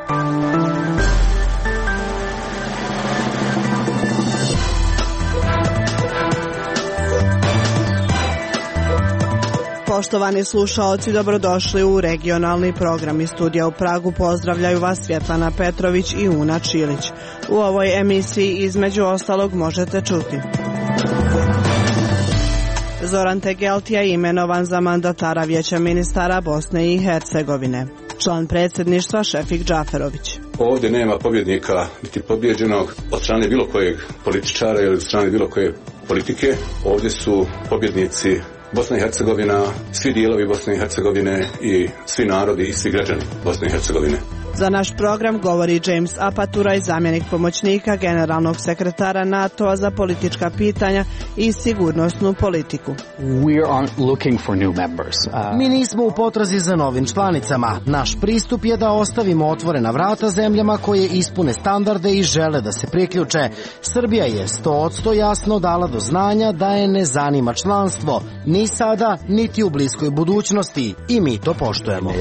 Poštovani slušaoci, dobrodošli u regionalni program. Iz studija u Pragu pozdravljaju vas Svjetlana Petrović i Una Čilić. U ovoj emisiji između ostalog možete čuti: Zoran Tegeltija imenovan za mandatara Vijeća ministara Bosne i Hercegovine. Član predsjedništva Šefik Džaferović. Ovdje nema pobjednika niti pobjeđenog od strane bilo kojeg političara ili od strane bilo koje politike. Ovdje su pobjednici Bosna i Hercegovina, svi dijelovi Bosne i Hercegovine i svi narodi i svi građani Bosne i Hercegovine. Za naš program govori James Apaturaj, zamjenik pomoćnika generalnog sekretara NATO-a za politička pitanja i sigurnosnu politiku. Mi nismo u potrazi za novim članicama. Naš pristup je da ostavimo otvorena vrata zemljama koje ispune standarde i žele da se priključe. Srbija je 100% jasno dala do znanja da je ne zanima članstvo, ni sada, niti u bliskoj budućnosti, i mi to poštujemo.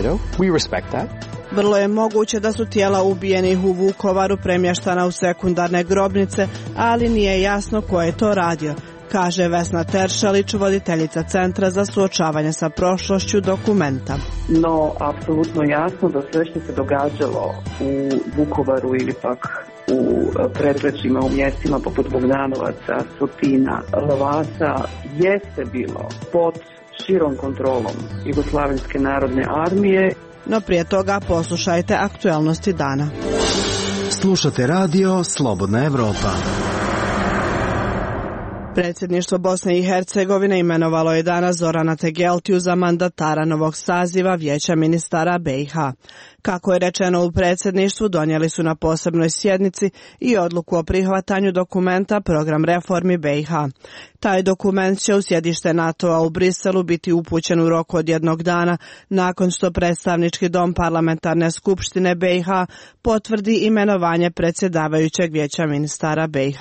Vrlo je moguće da su tijela ubijenih u Vukovaru premještana u sekundarne grobnice, ali nije jasno ko je to radio, kaže Vesna Teršelić, voditeljica Centra za suočavanje sa prošlošću Dokumenta. No, apsolutno jasno da sve što se događalo u Vukovaru ili pak u predgrađima, u mjestima poput Bogdanovaca, Sotina, Lavasa, jeste bilo pod širom kontrolom Jugoslavenske narodne armije. No prije toga poslušajte aktualnosti dana. Slušate radio Slobodna Evropa. Predsjedništvo Bosne i Hercegovine imenovalo je danas Zorana Tegeltiju za mandatara novog saziva Vijeća ministara BiH. Kako je rečeno u predsjedništvu, donijeli su na posebnoj sjednici i odluku o prihvatanju dokumenta Program reformi BiH. Taj dokument će u sjedište NATO-a u Briselu biti upućen u roku od jednog dana nakon što predstavnički dom parlamentarne skupštine BiH potvrdi imenovanje predsjedavajućeg Vijeća ministara BiH.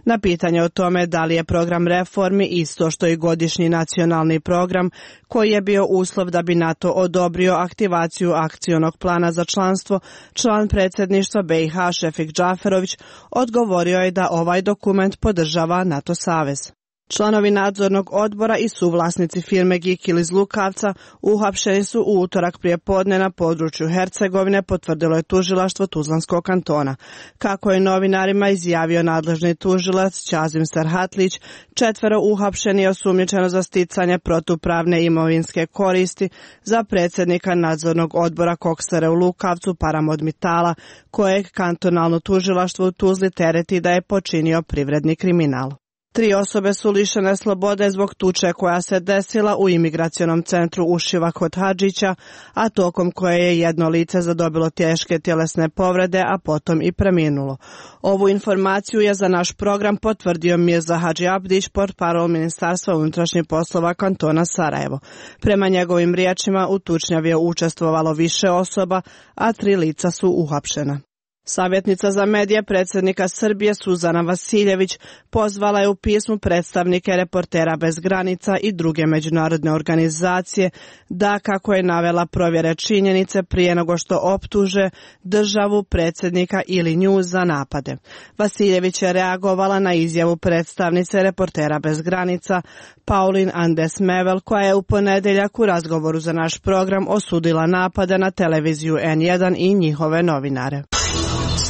Na pitanje o tome da li je program reformi isto što i godišnji nacionalni program, koji je bio uslov da bi NATO odobrio aktivaciju akcionog plana za članstvo, član predsjedništva BiH Šefik Džaferović odgovorio je da ovaj dokument podržava NATO savez. Članovi nadzornog odbora i suvlasnici firme Gikil iz Lukavca uhapšeni su u utorak prije podne na području Hercegovine, potvrdilo je tužilaštvo Tuzlanskog kantona. Kako je novinarima izjavio nadležni tužilac Ćazim Serhatlić, 4 uhapšeni je osumnjičeno za sticanje protupravne imovinske koristi za predsjednika nadzornog odbora Koksare u Lukavcu Paramod Mitala, kojeg kantonalno tužilaštvo u Tuzli tereti da je počinio privredni kriminal. 3 osobe su lišene slobode zbog tuče koja se desila u imigracionom centru Ušiva kod Hadžića, a tokom koje je jedno lice zadobilo teške tjelesne povrede, a potom i preminulo. Ovu informaciju je za naš program potvrdio Mirza Hadži Abdić, portparol Ministarstva unutrašnjih poslova kantona Sarajevo. Prema njegovim riječima u tučnjavi je učestvovalo više osoba, a 3 lica su uhapšena. Savjetnica za medije predsjednika Srbije Suzana Vasiljević pozvala je u pismu predstavnike Reportera bez granica i druge međunarodne organizacije da, kako je navela, provjere činjenice prije nego što optuže državu, predsjednika ili nju za napade. Vasiljević je reagovala na izjavu predstavnice Reportera bez granica Pauline Andes Mevel, koja je u ponedjeljak u razgovoru za naš program osudila napade na televiziju N1 i njihove novinare.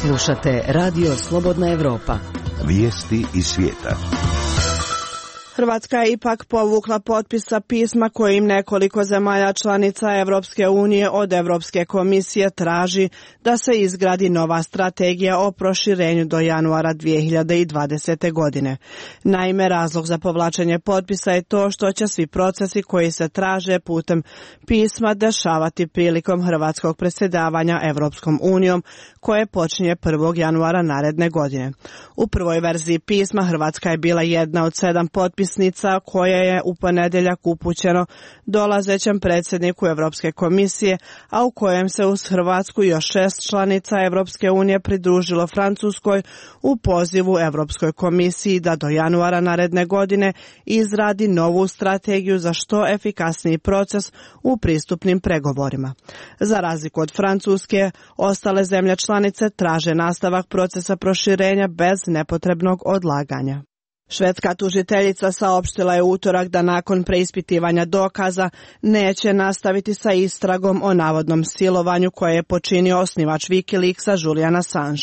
Slušate radio Slobodna Evropa. Vijesti iz svijeta. Hrvatska je ipak povukla potpisa pisma kojim nekoliko zemalja članica Europske unije od Europske komisije traži da se izgradi nova strategija o proširenju do januara 2020. godine. Naime, razlog za povlačenje potpisa je to što će svi procesi koji se traže putem pisma dešavati prilikom hrvatskog predsjedavanja Europskom unijom, koje počinje 1. januara naredne godine. U prvoj verziji pisma Hrvatska je bila jedna od 7 potpisa dopisnica koje je u ponedjeljak upućeno dolazećem predsjedniku Europske komisije, a u kojem se uz Hrvatsku i još 6 članica Europske unije pridružilo Francuskoj u pozivu Europskoj komisiji da do januara naredne godine izradi novu strategiju za što efikasniji proces u pristupnim pregovorima. Za razliku od Francuske, ostale zemlje članice traže nastavak procesa proširenja bez nepotrebnog odlaganja. Švedska tužiteljica saopštila je u utorak da nakon preispitivanja dokaza neće nastaviti sa istragom o navodnom silovanju koje je počinio osnivač Wikileaksa Julian Assange.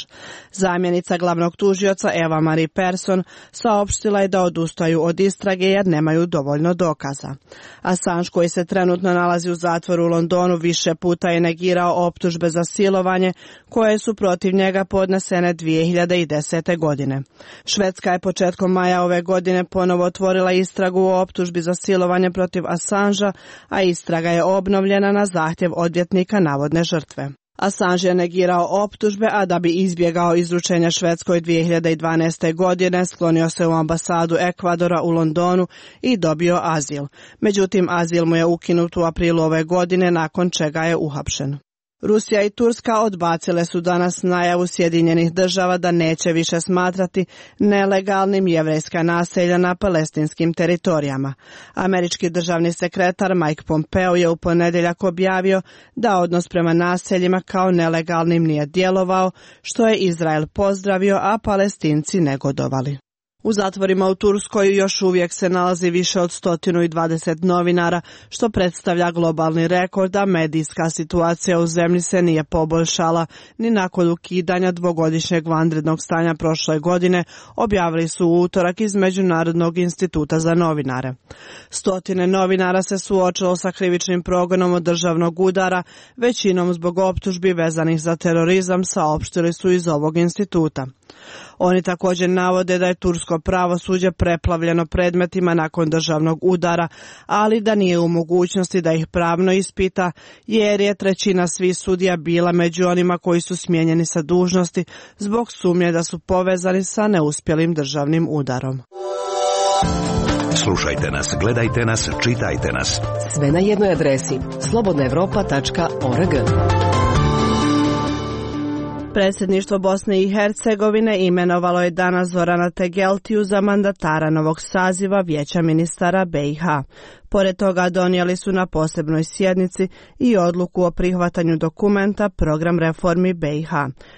Zamjenica glavnog tužioca Eva Marie Persson saopštila je da odustaju od istrage jer nemaju dovoljno dokaza. Assange, koji se trenutno nalazi u zatvoru u Londonu, više puta je negirao optužbe za silovanje koje su protiv njega podnesene 2010. godine. Švedska je početkom maja ove godine ponovo otvorila istragu o optužbi za silovanje protiv Assangea, a istraga je obnovljena na zahtjev odvjetnika navodne žrtve. Assange je negirao optužbe, a da bi izbjegao izručenje Švedskoj 2012. godine sklonio se u ambasadu Ekvadora u Londonu i dobio azil. Međutim, azil mu je ukinut u aprilu ove godine, nakon čega je uhapšen. Rusija i Turska odbacile su danas najavu Sjedinjenih država da neće više smatrati nelegalnim jevrejska naselja na palestinskim teritorijama. Američki državni sekretar Mike Pompeo je u ponedjeljak objavio da odnos prema naseljima kao nelegalnim nije djelovao, što je Izrael pozdravio, a Palestinci negodovali. U zatvorima u Turskoj još uvijek se nalazi više od 120 novinara, što predstavlja globalni rekord, a medijska situacija u zemlji se nije poboljšala ni nakon ukidanja dvogodišnjeg vanrednog stanja prošle godine, objavili su u utorak iz Međunarodnog instituta za novinare. Stotine novinara se suočilo sa krivičnim progonom od državnog udara, većinom zbog optužbi vezanih za terorizam, saopštili su iz ovog instituta. Oni također navode da je tursko pravosuđe preplavljeno predmetima nakon državnog udara, ali da nije u mogućnosti da ih pravno ispita, jer je trećina svih sudija bila među onima koji su smijenjeni sa dužnosti zbog sumnje da su povezani sa neuspjelim državnim udarom. Slušajte nas, gledajte nas, čitajte nas. Sve na jednoj adresi slobodnaevropa.org. Predsjedništvo Bosne i Hercegovine imenovalo je danas Zorana Tegeltiju za mandatara novog saziva Vijeća ministara BiH. Pored toga donijeli su na posebnoj sjednici i odluku o prihvatanju dokumenta Program reformi BiH.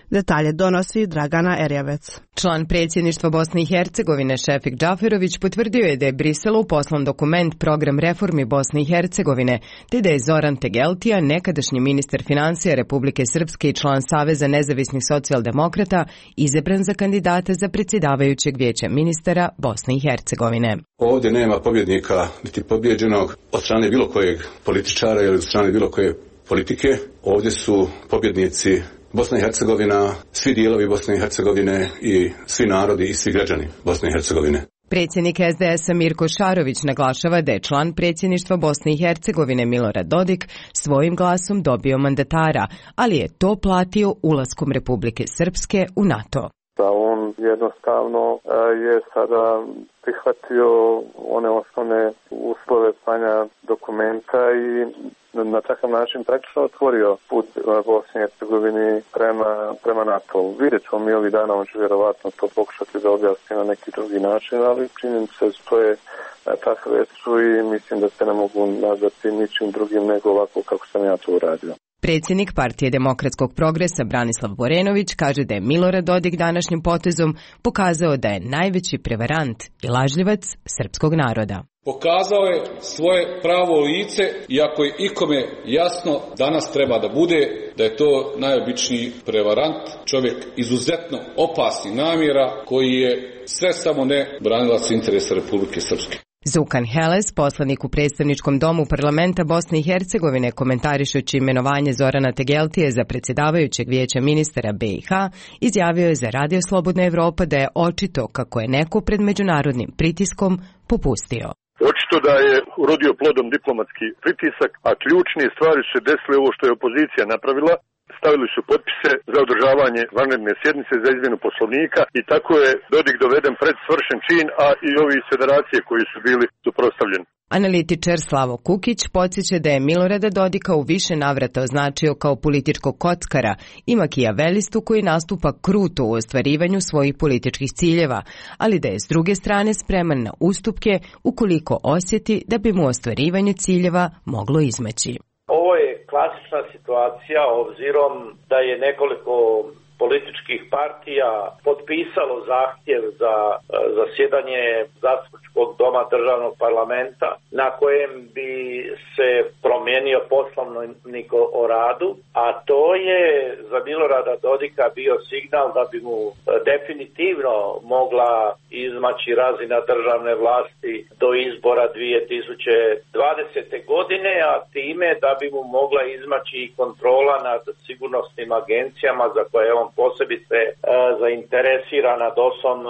Detalje donosi Dragana Erjavec. Član predsjedništva Bosne i Hercegovine Šefik Džaferović potvrdio je da je Briselu poslan dokument Program reformi Bosne i Hercegovine, te da je Zoran Tegeltija, nekadašnji ministar financija Republike Srpske i član Saveza nezavisnih socijaldemokrata, izabran za kandidata za predsjedavajućeg Vijeća ministara Bosne i Hercegovine. Ovdje nema pobjednika niti pobjeđenog od strane bilo kojeg političara ili od strane bilo koje politike. Ovdje su pobjednici Bosna i Hercegovina, svi dijelovi Bosne i Hercegovine i svi narodi i svi građani Bosne i Hercegovine. Predsjednik SDS-a Mirko Šarović naglašava da je član predsjedništva Bosne i Hercegovine Milorad Dodik svojim glasom dobio mandatara, ali je to platio ulaskom Republike Srpske u NATO. Da on jednostavno je sada prihvatio one osnovne uslove slanja dokumenta i na takav način praktično otvorio put Bosni i Hercegovini prema NATO. Vidjet ćemo mi ovih dana, on će vjerovatno to pokušati da objasni na neki drugi način, ali činjenice što je takve su i mislim da se ne mogu nazvati ničim drugim nego ovako kako sam ja to uradio. Predsjednik Partije demokratskog progresa Branislav Borenović kaže da je Milorad Dodik današnjim potezom pokazao da je najveći prevarant i lažljivac srpskog naroda. Pokazao je svoje pravo lice i ako je ikome jasno, danas treba da bude da je to najobičniji prevarant, čovjek izuzetno opasnih namjera koji je sve samo ne branilac interesa Republike Srpske. Zukan Heles, poslanik u predstavničkom domu parlamenta Bosne i Hercegovine, komentarišući imenovanje Zorana Tegeltije za predsjedavajućeg Vijeća ministara BiH, izjavio je za Radio Slobodna Evropa da je očito kako je neko pred međunarodnim pritiskom popustio. Očito da je urodio plodom diplomatski pritisak, a ključne stvari su se desile ovo što je opozicija napravila, stavili su potpise za održavanje vanredne sjednice za izmjenu poslovnika i tako je Dodik doveden pred svršen čin, a i ovi iz federacije koji su bili suprotstavljeni. Analitičar Slavo Kukić podsjeća da je Milorada Dodika u više navrata označio kao političkog kockara i makijavelistu koji nastupa kruto u ostvarivanju svojih političkih ciljeva, ali da je s druge strane spreman na ustupke ukoliko osjeti da bi mu ostvarivanje ciljeva moglo izmaći. Ovo je klasična situacija obzirom da je nekoliko političkih partija potpisalo zahtjev za zasjedanje zastupničkog doma državnog parlamenta na kojem bi se promijenio poslovnik o radu, a to je za Milorada Dodika bio signal da bi mu definitivno mogla izmaći razina državne vlasti do izbora 2020. godine, a time da bi mu mogla izmaći i kontrola nad sigurnosnim agencijama za koje on posebice zainteresiran nad DOS-om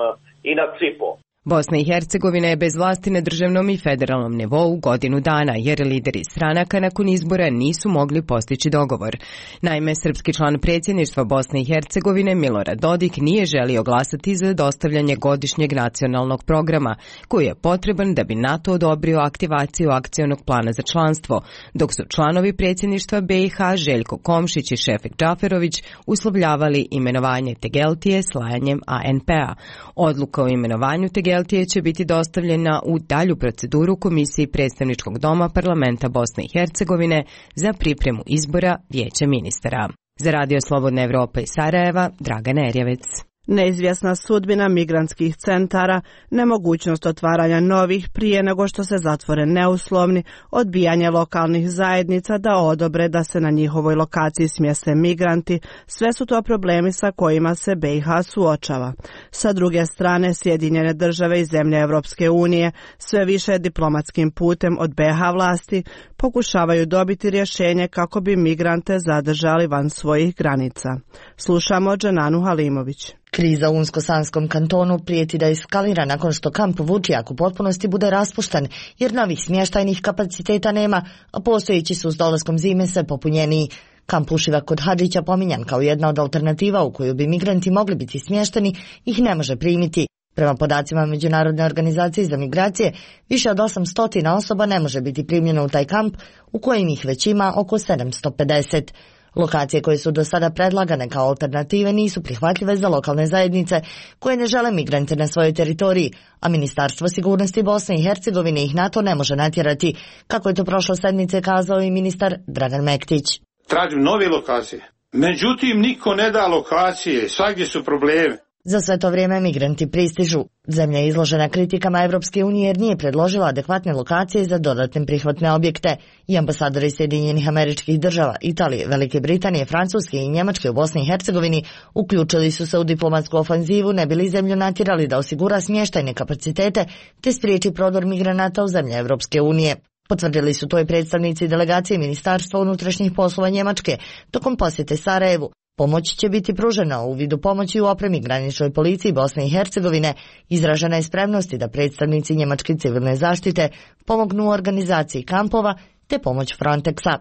i nad CIP-om. Bosna i Hercegovina je bez vlasti na državnom i federalnom nivou godinu dana, jer lideri stranaka nakon izbora nisu mogli postići dogovor. Naime, srpski član predsjedništva Bosne i Hercegovine Milorad Dodik nije želio glasati za dostavljanje godišnjeg nacionalnog programa, koji je potreban da bi NATO odobrio aktivaciju akcionog plana za članstvo, dok su članovi predsjedništva BiH Željko Komšić i Šefik Džaferović uslovljavali imenovanje Tegeltije slajanjem ANP-a. Odluka o imenovanju Tegeltije će biti dostavljena u dalju proceduru Komisiji predstavničkog doma Parlamenta Bosne i Hercegovine za pripremu izbora Vijeća ministara. Za Radio Slobodna Evropa iz Sarajeva, Dragana Erjevec. Neizvjesna sudbina migrantskih centara, nemogućnost otvaranja novih prije nego što se zatvore neuslovni, odbijanje lokalnih zajednica da odobre da se na njihovoj lokaciji smjeste migranti, sve su to problemi sa kojima se BiH suočava. Sa druge strane, Sjedinjene države i zemlje Europske unije sve više diplomatskim putem od BiH vlasti pokušavaju dobiti rješenje kako bi migrante zadržali van svojih granica. Slušamo Dženanu Halimović. Kriza u Unsko-Sanskom kantonu prijeti da eskalira nakon što kamp Vučjak u potpunosti bude raspušten, jer novih smještajnih kapaciteta nema, a postojeći su s dolaskom zime sve popunjeniji. Kamp Ušivak kod Hadžića, pominjan kao jedna od alternativa u koju bi migranti mogli biti smješteni, ih ne može primiti. Prema podacima Međunarodne organizacije za migracije, više od 800 osoba ne može biti primljeno u taj kamp, u kojem ih već ima oko 750. Lokacije koje su do sada predlagane kao alternative nisu prihvatljive za lokalne zajednice koje ne žele migrante na svojoj teritoriji, a Ministarstvo sigurnosti Bosne i Hercegovine ih na to ne može natjerati, kako je to prošle sedmice kazao i ministar Dragan Mektić. Tražim nove lokacije. Međutim, niko ne da lokacije, svagdje su problemi. Za sve to vrijeme migranti pristižu. Zemlja je izložena kritikama Evropske unije jer nije predložila adekvatne lokacije za dodatne prihvatne objekte. I ambasadori Sjedinjenih Američkih Država, Italije, Velike Britanije, Francuske i Njemačke u Bosni i Hercegovini uključili su se u diplomatsku ofanzivu ne bi li zemlju natjerali da osigura smještajne kapacitete te spriječi prodor migranata u zemlje Evropske unije. Potvrdili su to i predstavnici delegacije Ministarstva unutrašnjih poslova Njemačke tokom posjete Sarajevu. Pomoć će biti pružena u vidu pomoći u opremi graničnoj policiji Bosne i Hercegovine. Izražena je spremnost da predstavnici njemačke civilne zaštite pomognu u organizaciji kampova te pomoć Frontexa.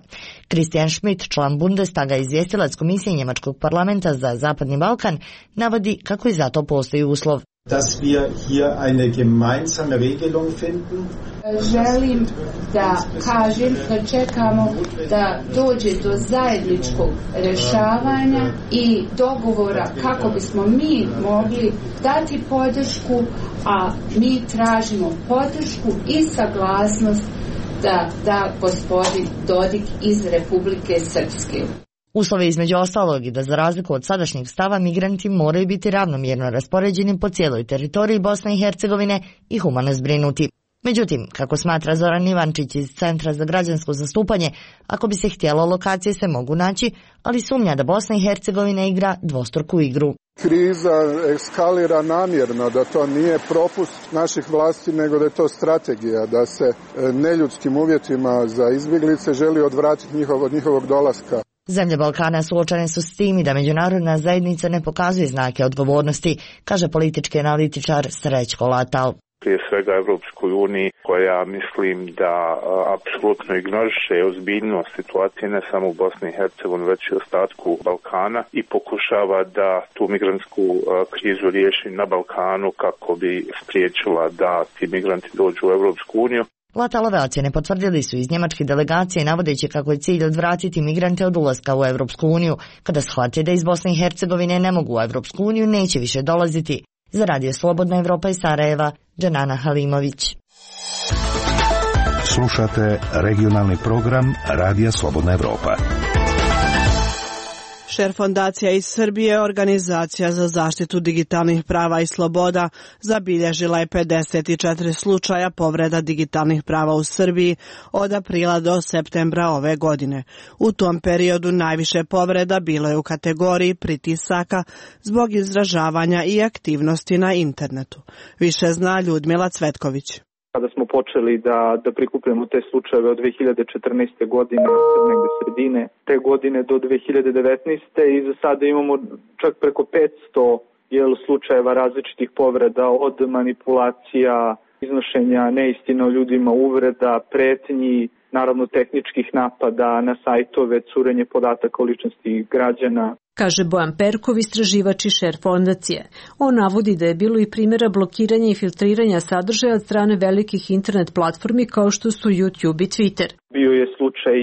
Christian Schmidt, član Bundestaga i izvjestilac Komisije Njemačkog parlamenta za Zapadni Balkan, navodi kako i za to postoji uslov. Dass wir hier eine gemeinsame Regelung finden. Želim da kažem da čekamo da dođe do zajedničkog rješavanja i dogovora kako bismo mi mogli dati podršku, a mi tražimo podršku i saglasnost da gospodin Dodik iz Republike Srpske. Uslov je između ostalog i da za razliku od sadašnjeg stava migranti moraju biti ravnomjerno raspoređeni po cijeloj teritoriji Bosne i Hercegovine i humano zbrinuti. Međutim, kako smatra Zoran Ivančić iz Centra za građansko zastupanje, ako bi se htjelo, lokacije se mogu naći, ali sumnja da Bosna i Hercegovina igra dvostruku igru. Kriza eskalira namjerno, da to nije propust naših vlasti, nego da je to strategija, da se neljudskim uvjetima za izbjeglice želi odvratiti od njihovog dolaska. Zemlje Balkana suočene su s tim i da međunarodna zajednica ne pokazuje znake odgovornosti, kaže politički analitičar Srećko Latal. prije svega Evropskoj uniji, koja mislim da apsolutno ignoriše ozbiljnost situacije ne samo u Bosni i Hercegovini, već i ostatku Balkana i pokušava da tu migrantsku krizu riješi na Balkanu kako bi spriječila da ti migranti dođu u Evropsku uniju. Latalove ocjene potvrdili su iz njemačke delegacije navodeći kako je cilj odvratiti migrante od ulaska u Evropsku uniju. Kada shvate da iz Bosne i Hercegovine ne mogu u Evropsku uniju, neće više dolaziti. Za Radio Slobodna Evropa iz Sarajeva, Džanana Halimović. Slušate regionalni program Radija Slobodna Evropa. Šer fondacija iz Srbije, organizacija za zaštitu digitalnih prava i sloboda, zabilježila je 54 slučaja povreda digitalnih prava u Srbiji od aprila do septembra ove godine. U tom periodu najviše povreda bilo je u kategoriji pritisaka zbog izražavanja i aktivnosti na internetu. Više zna Ljudmila Cvetković. Kada smo počeli da prikupljamo te slučajeve od 2014. godine, negde sredine te godine do 2019. i za sada imamo čak preko 500 slučajeva različitih povreda, od manipulacija, iznošenja neistina o ljudima, uvreda, pretnji, naravno tehničkih napada na sajtove, curenje podataka o ličnosti građana. Kaže Bojan Perkov, istraživač i šer fondacije. On navodi da je bilo i primjera blokiranja i filtriranja sadržaja od strane velikih internet platformi kao što su YouTube i Twitter. Bio je slučaj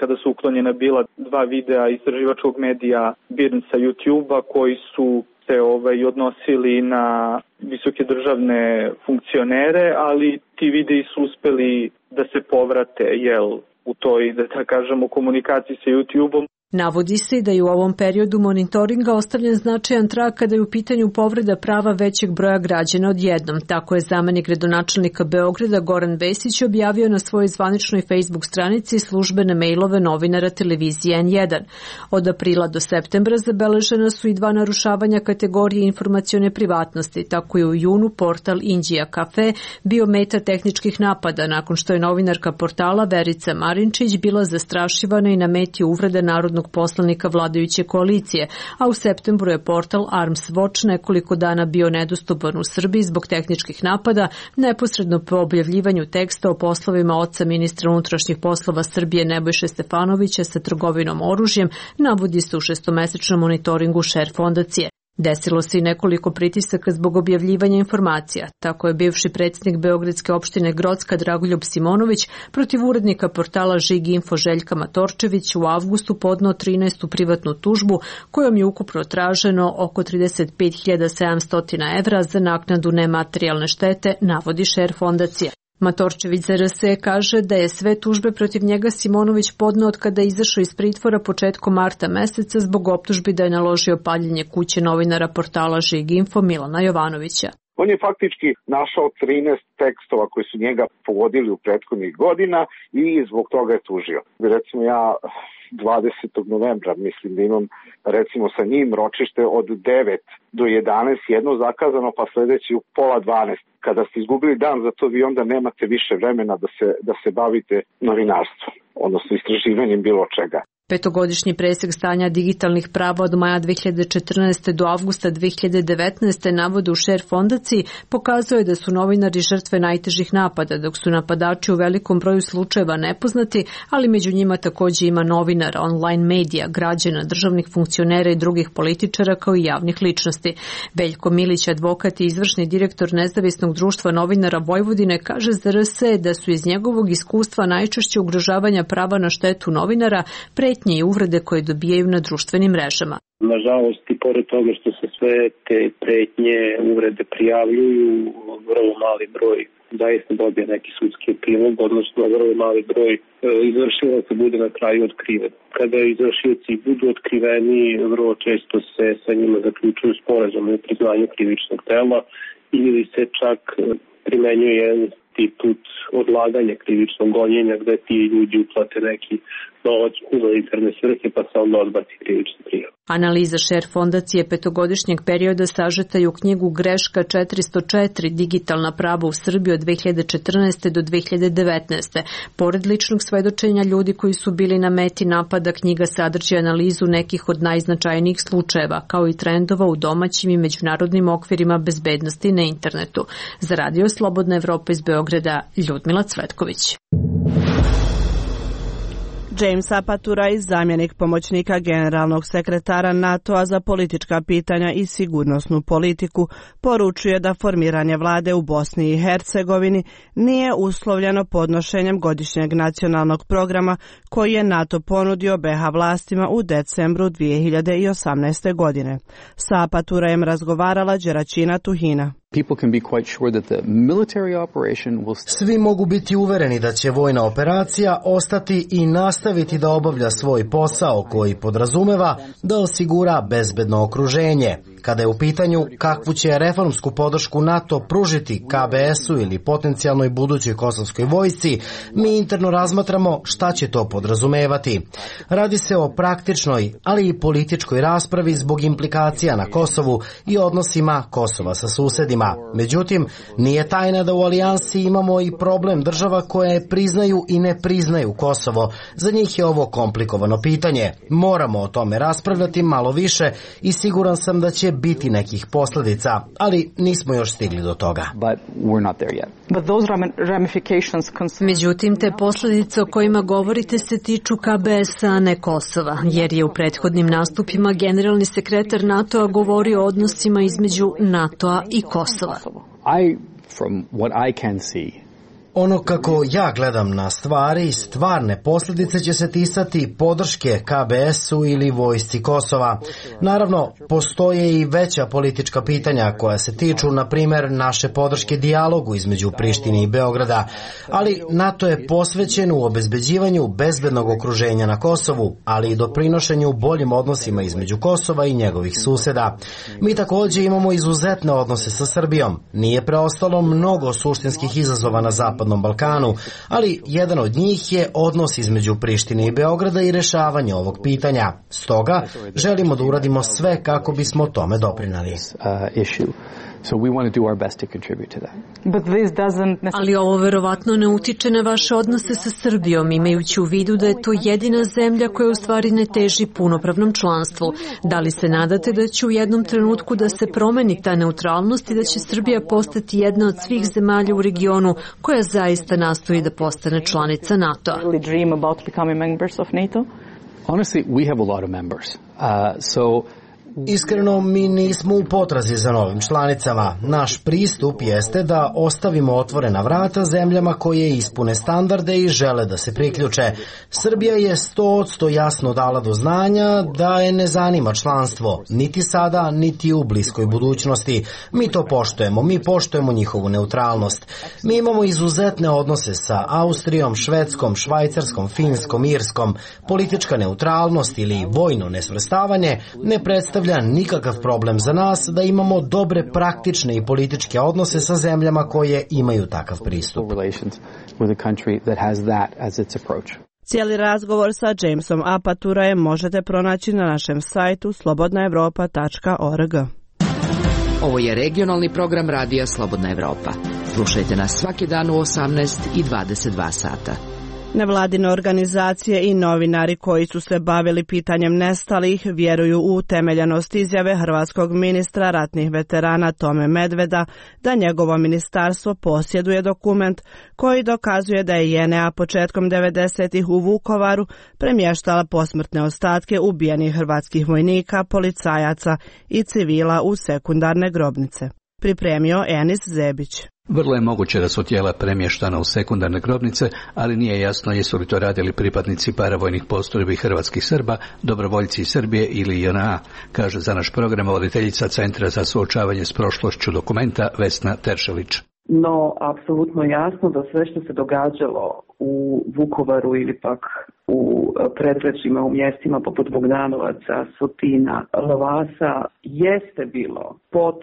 kada su uklonjena bila 2 videa istraživačkog medija BIRN sa YouTube-a koji su se odnosili na visoke državne funkcionere, ali ti videi su uspeli da se povrate u toj, da kažemo, komunikaciji sa YouTube-om. Navodi se da je u ovom periodu monitoringa ostavljen značajan trag kada je u pitanju povreda prava većeg broja građana odjednom. Tako je zamenik gradonačelnika Beograda Goran Vesić objavio na svojoj zvaničnoj Facebook stranici službene mejlove novinara televizije N1. Od aprila do septembra zabeležena su i 2 narušavanja kategorije informacione privatnosti. Tako je u junu portal Indija Cafe bio meta tehničkih napada nakon što je novinarka portala Verica Marinčić bila zastrašivana i na meti uvrede narodnog poslanika vladajuće koalicije, a u septembru je portal Arms Watch nekoliko dana bio nedostupan u Srbiji zbog tehničkih napada, neposredno po objavljivanju teksta o poslovima oca ministra unutrašnjih poslova Srbije Nebojše Stefanovića sa trgovinom oružjem, navodi se u 6-mesečnom monitoringu šer fondacije. Desilo se i nekoliko pritisaka zbog objavljivanja informacija. Tako je bivši predsjednik Beogradske opštine Grocka Dragoljub Simonović protiv urednika portala Žig Info Željka Matorčević u avgustu podneo 13. privatnu tužbu kojom je ukupno traženo oko 35.700 evra za naknadu nematerijalne štete, navodi šer fondacija. Matorčević za RS kaže da je sve tužbe protiv njega Simonović podneo od kada je izašao iz pritvora početkom marta meseca zbog optužbi da je naložio paljenje kuće novinara portala Žig Info Milana Jovanovića. On je faktički našao 13 tekstova koji su njega pogodili u prethodnih godina i zbog toga je tužio. Recimo ja 20. novembra mislim da imam recimo sa njim ročište od 9 do 11, jedno zakazano, pa sljedeći u 11:30. Kada ste izgubili dan za to, vi onda nemate više vremena da se bavite novinarstvom, odnosno istraživanjem bilo čega. 5-godišnji presek stanja digitalnih prava od maja 2014. do avgusta 2019. navode u šer fondaciji pokazuje da su novinari žrtve najtežih napada, dok su napadači u velikom broju slučajeva nepoznati, ali među njima također ima novinara, online medija, građana, državnih funkcionera i drugih političara kao i javnih ličnosti. Veljko Milić, advokat i izvršni direktor Nezavisnog društva novinara Vojvodine, kaže za RS da su iz njegovog iskustva najčešće ugrožavanja prava na štetu novinara, pretnje i uvrede koje dobijaju na društvenim mrežama. Nažalost, i pored toga što se sve te pretnje, uvrede prijavljuju, vrlo mali broj zaista dobije neki sudski epilog, odnosno vrlo mali broj izvršilaca bude na kraju otkriven. Kada izvršioci budu otkriveni, vrlo često se sa njima zaključuju sporazum o priznanju krivičnog dela ili se čak primenjuje jedan institut odlaganja krivičnog gonjenja gde ti ljudi uplate neki novac u interne svrhe pa se onda odbaci krivična prijava. Analiza Share fondacije petogodišnjeg perioda sažeta je u knjigu Greška 404 digitalna prava u Srbiji od 2014. do 2019. Pored ličnog svedočenja ljudi koji su bili na meti napada, knjiga sadrži analizu nekih od najznačajnijih slučajeva, kao i trendova u domaćim i međunarodnim okvirima bezbednosti na internetu. Za Radio Slobodna Evropa iz Beograda, Ljudmila Cvetković. James Apaturaj, zamjenik pomoćnika generalnog sekretara NATO-a za politička pitanja i sigurnosnu politiku, poručuje da formiranje vlade u Bosni i Hercegovini nije uslovljeno podnošenjem godišnjeg nacionalnog programa koji je NATO ponudio BiH vlastima u decembru 2018. godine. Sa Apaturajem razgovarala Đeraćina Tuhina. Svi mogu biti uvereni da će vojna operacija ostati i nastaviti da obavlja svoj posao koji podrazumeva da osigura bezbedno okruženje. Kada je u pitanju kakvu će reformsku podršku NATO pružiti KBS-u ili potencijalnoj budućoj kosovskoj vojsci, mi interno razmatramo šta će to podrazumevati. Radi se o praktičnoj, ali i političkoj raspravi zbog implikacija na Kosovu i odnosima Kosova sa susedima. Međutim, nije tajna da u alijansi imamo i problem država koje priznaju i ne priznaju Kosovo. Za njih je ovo komplikovano pitanje. Moramo o tome raspravljati malo više i siguran sam da će biti nekih posljedica, ali nismo još stigli do toga. Međutim, te posljedice o kojima govorite se tiču KBS-a, a ne Kosova, jer je u prethodnim nastupima generalni sekretar NATO-a govorio o odnosima između NATO-a i Kosova. Ono kako ja gledam na stvari, stvarne posljedice će se ticati podrške KBS-u ili vojsci Kosova. Naravno, postoje i veća politička pitanja koja se tiču, na primjer, naše podrške dijalogu između Prištine i Beograda, ali NATO je posvećen u obezbeđivanju bezbednog okruženja na Kosovu, ali i doprinošenju boljim odnosima između Kosova i njegovih suseda. Mi također imamo izuzetne odnose sa Srbijom. Nije preostalo mnogo suštinskih izazova na Zapadnom Balkanu, ali jedan od njih je odnos između Prištine i Beograda i rešavanje ovog pitanja. Stoga želimo da uradimo sve kako bismo tome doprinali. Ali ovo verovatno ne utiče na vaše odnose sa Srbijom, imajući u vidu da je to jedina zemlja koja u stvari ne teži punopravnom članstvu. Da li se nadate da će u jednom trenutku da se promeni ta neutralnost i da će Srbija postati jedna od svih zemalja u regionu koja zaista nastoji da postane članica NATO-a? Iskreno, mi nismo u potrazi za novim članicama. Naš pristup jeste da ostavimo otvorena vrata zemljama koje ispune standarde i žele da se priključe. Srbija je 100% jasno dala do znanja da je ne zanima članstvo, niti sada, niti u bliskoj budućnosti. Mi to poštujemo, mi poštujemo njihovu neutralnost. Mi imamo izuzetne odnose sa Austrijom, Švedskom, Švajcarskom, Finskom, Irskom. Politička neutralnost ili vojno nesvrstavanje ne predstavlja nikakav problem za nas da imamo dobre praktične i političke odnose sa zemljama koje imaju takav pristup. Cijeli razgovor sa Jamesom Apaturajem možete pronaći na našem sajtu slobodnaevropa.org. Ovo je regionalni program Radija Slobodna Evropa. Slušajte nas svaki dan u 18 i 22 sata. Nevladine organizacije i novinari koji su se bavili pitanjem nestalih vjeruju u utemeljenost izjave hrvatskog ministra ratnih veterana Tome Medveda da njegovo ministarstvo posjeduje dokument koji dokazuje da je JNA početkom 90-ih u Vukovaru premještala posmrtne ostatke ubijenih hrvatskih vojnika, policajaca i civila u sekundarne grobnice. Pripremio Enis Zebić. Vrlo je moguće da su tijela premještana u sekundarne grobnice, ali nije jasno jesu li to radili pripadnici paravojnih postrojbi hrvatskih Srba, dobrovoljci iz Srbije ili JNA, kaže za naš program voditeljica Centra za suočavanje s prošlošću dokumenta Vesna Teršelić. No, apsolutno jasno da sve što se događalo u Vukovaru ili pak u predgrađima, u mjestima poput Bogdanovaca, Sotina, Lovasa, jeste bilo pod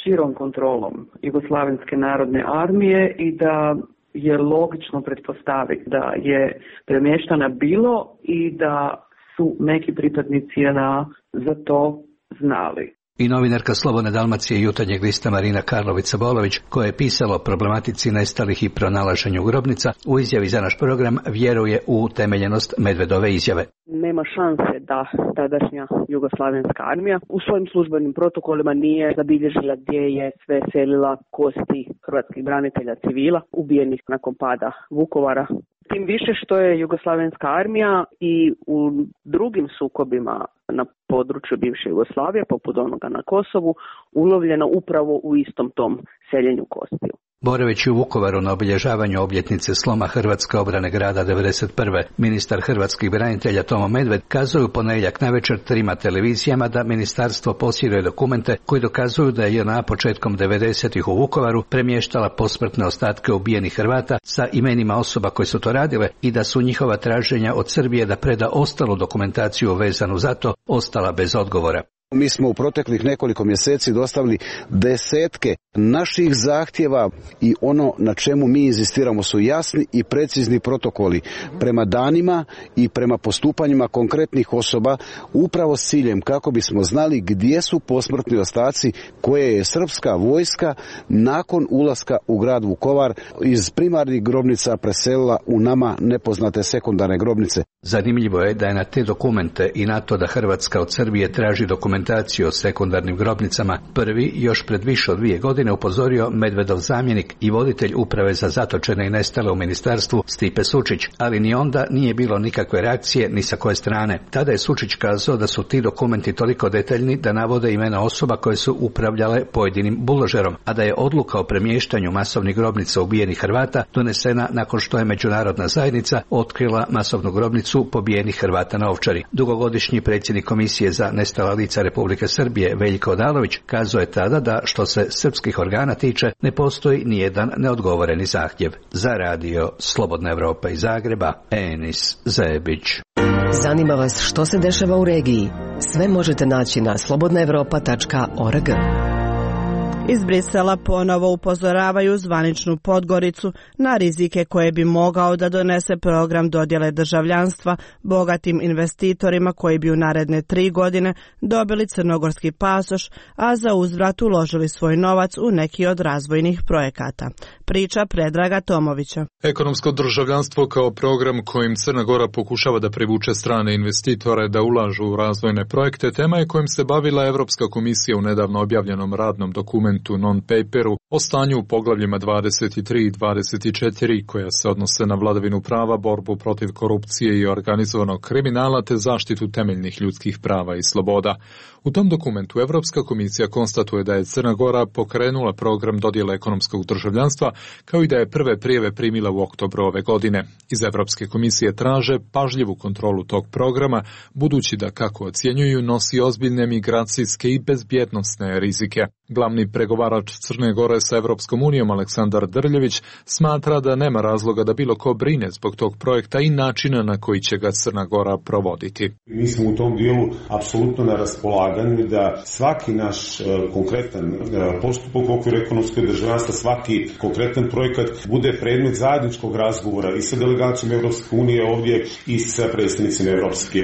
širom kontrolom Jugoslavenske narodne armije i da je logično pretpostaviti da je premještana bilo i da su neki pripadnici JNA za to znali. I novinarka Slobodne Dalmacije i Jutarnjeg lista Marina Karlović-Sabolović, koja je pisala o problematici nestalih i pronalaženju grobnica, u izjavi za naš program vjeruje u utemeljenost Medvedove izjave. Nema šanse da tadašnja jugoslavenska armija u svojim službenim protokolima nije zabilježila gdje je sve selila kosti hrvatskih branitelja civila ubijenih nakon pada Vukovara. Tim više što je jugoslavenska armija i u drugim sukobima na području bivše Jugoslavije, poput onoga na Kosovu, ulovljena upravo u istom tom seljenju kostiju. Borevići u Vukovaru na obilježavanju obljetnice sloma Hrvatske obrane grada 1991. ministar hrvatskih branitelja Tomo Medved kazuje u ponedjeljak navečer 3 televizijama da ministarstvo posjeduje dokumente koji dokazuju da je JNA početkom 90-ih u Vukovaru premještala posmrtne ostatke ubijenih Hrvata sa imenima osoba koje su to radile i da su njihova traženja od Srbije da preda ostalu dokumentaciju vezanu za to ostala bez odgovora. Mi smo u proteklih nekoliko mjeseci dostavili desetke naših zahtjeva i ono na čemu mi inzistiramo su jasni i precizni protokoli prema danima i prema postupanjima konkretnih osoba upravo s ciljem kako bismo znali gdje su posmrtni ostaci koje je srpska vojska nakon ulaska u grad Vukovar iz primarnih grobnica preselila u nama nepoznate sekundarne grobnice. Zanimljivo je da je na te dokumente i na to da Hrvatska od Srbije traži dokumentaciju o sekundarnim grobnicama prvi još pred više od 2 godine upozorio Medvedov zamjenik i voditelj uprave za zatočene i nestale u ministarstvu Stipe Sučić, ali ni onda nije bilo nikakve reakcije ni sa koje strane. Tada je Sučić kazao da su ti dokumenti toliko detaljni da navode imena osoba koje su upravljale pojedinim buložerom, a da je odluka o premještanju masovnih grobnica ubijenih Hrvata donesena nakon što je međunarodna zajednica otkrila masovnu grobnicu pobijenih Hrvata na Ovčari. Dugogodišnji predsjednik Komisije za nestala lica Republike Srbije Veljko Odalović kazao je tada da što se srpskih organa tiče ne postoji nijedan neodgovoreni zahtjev. Za radio Slobodna Evropa iz Zagreba, Enis Zebić. Zanima vas što se dešava u regiji? Sve možete naći na slobodnaevropa.org. Iz Brisela ponovo upozoravaju zvaničnu Podgoricu na rizike koje bi mogao da donese program dodjele državljanstva bogatim investitorima koji bi u naredne 3 godine dobili crnogorski pasoš, a za uzvrat uložili svoj novac u neki od razvojnih projekata. Priča Predraga Tomovića. Ekonomsko državljanstvo kao program kojim Crna Gora pokušava da privuče strane investitore da ulažu u razvojne projekte, tema je kojim se bavila Evropska komisija u nedavno objavljenom radnom dokumentu non-paperu o stanju u poglavljima 23 i 24 koja se odnose na vladavinu prava, borbu protiv korupcije i organizovanog kriminala te zaštitu temeljnih ljudskih prava i sloboda. U tom dokumentu Evropska komisija konstatuje da je Crna Gora pokrenula program dodjele ekonomskog državljanstva kao i da je prve prijave primila u oktobru ove godine. Iz Evropske komisije traže pažljivu kontrolu tog programa, budući da, kako ocjenjuju, nosi ozbiljne migracijske i bezbjednosne rizike. Glavni pregovarač Crne Gore sa Evropskom unijom Aleksandar Drljević smatra da nema razloga da bilo ko brine zbog tog projekta i načina na koji će ga Crna Gora provoditi. Mi smo u tom dijelu apsolutno na raspolaganju da svaki naš konkretan postupak u okviru ekonomskog državljanstva, svaki konkretan projekat bude predmet zajedničkog razgovora i sa delegacijom Evropske unije ovdje i sa predstavnicima Evropske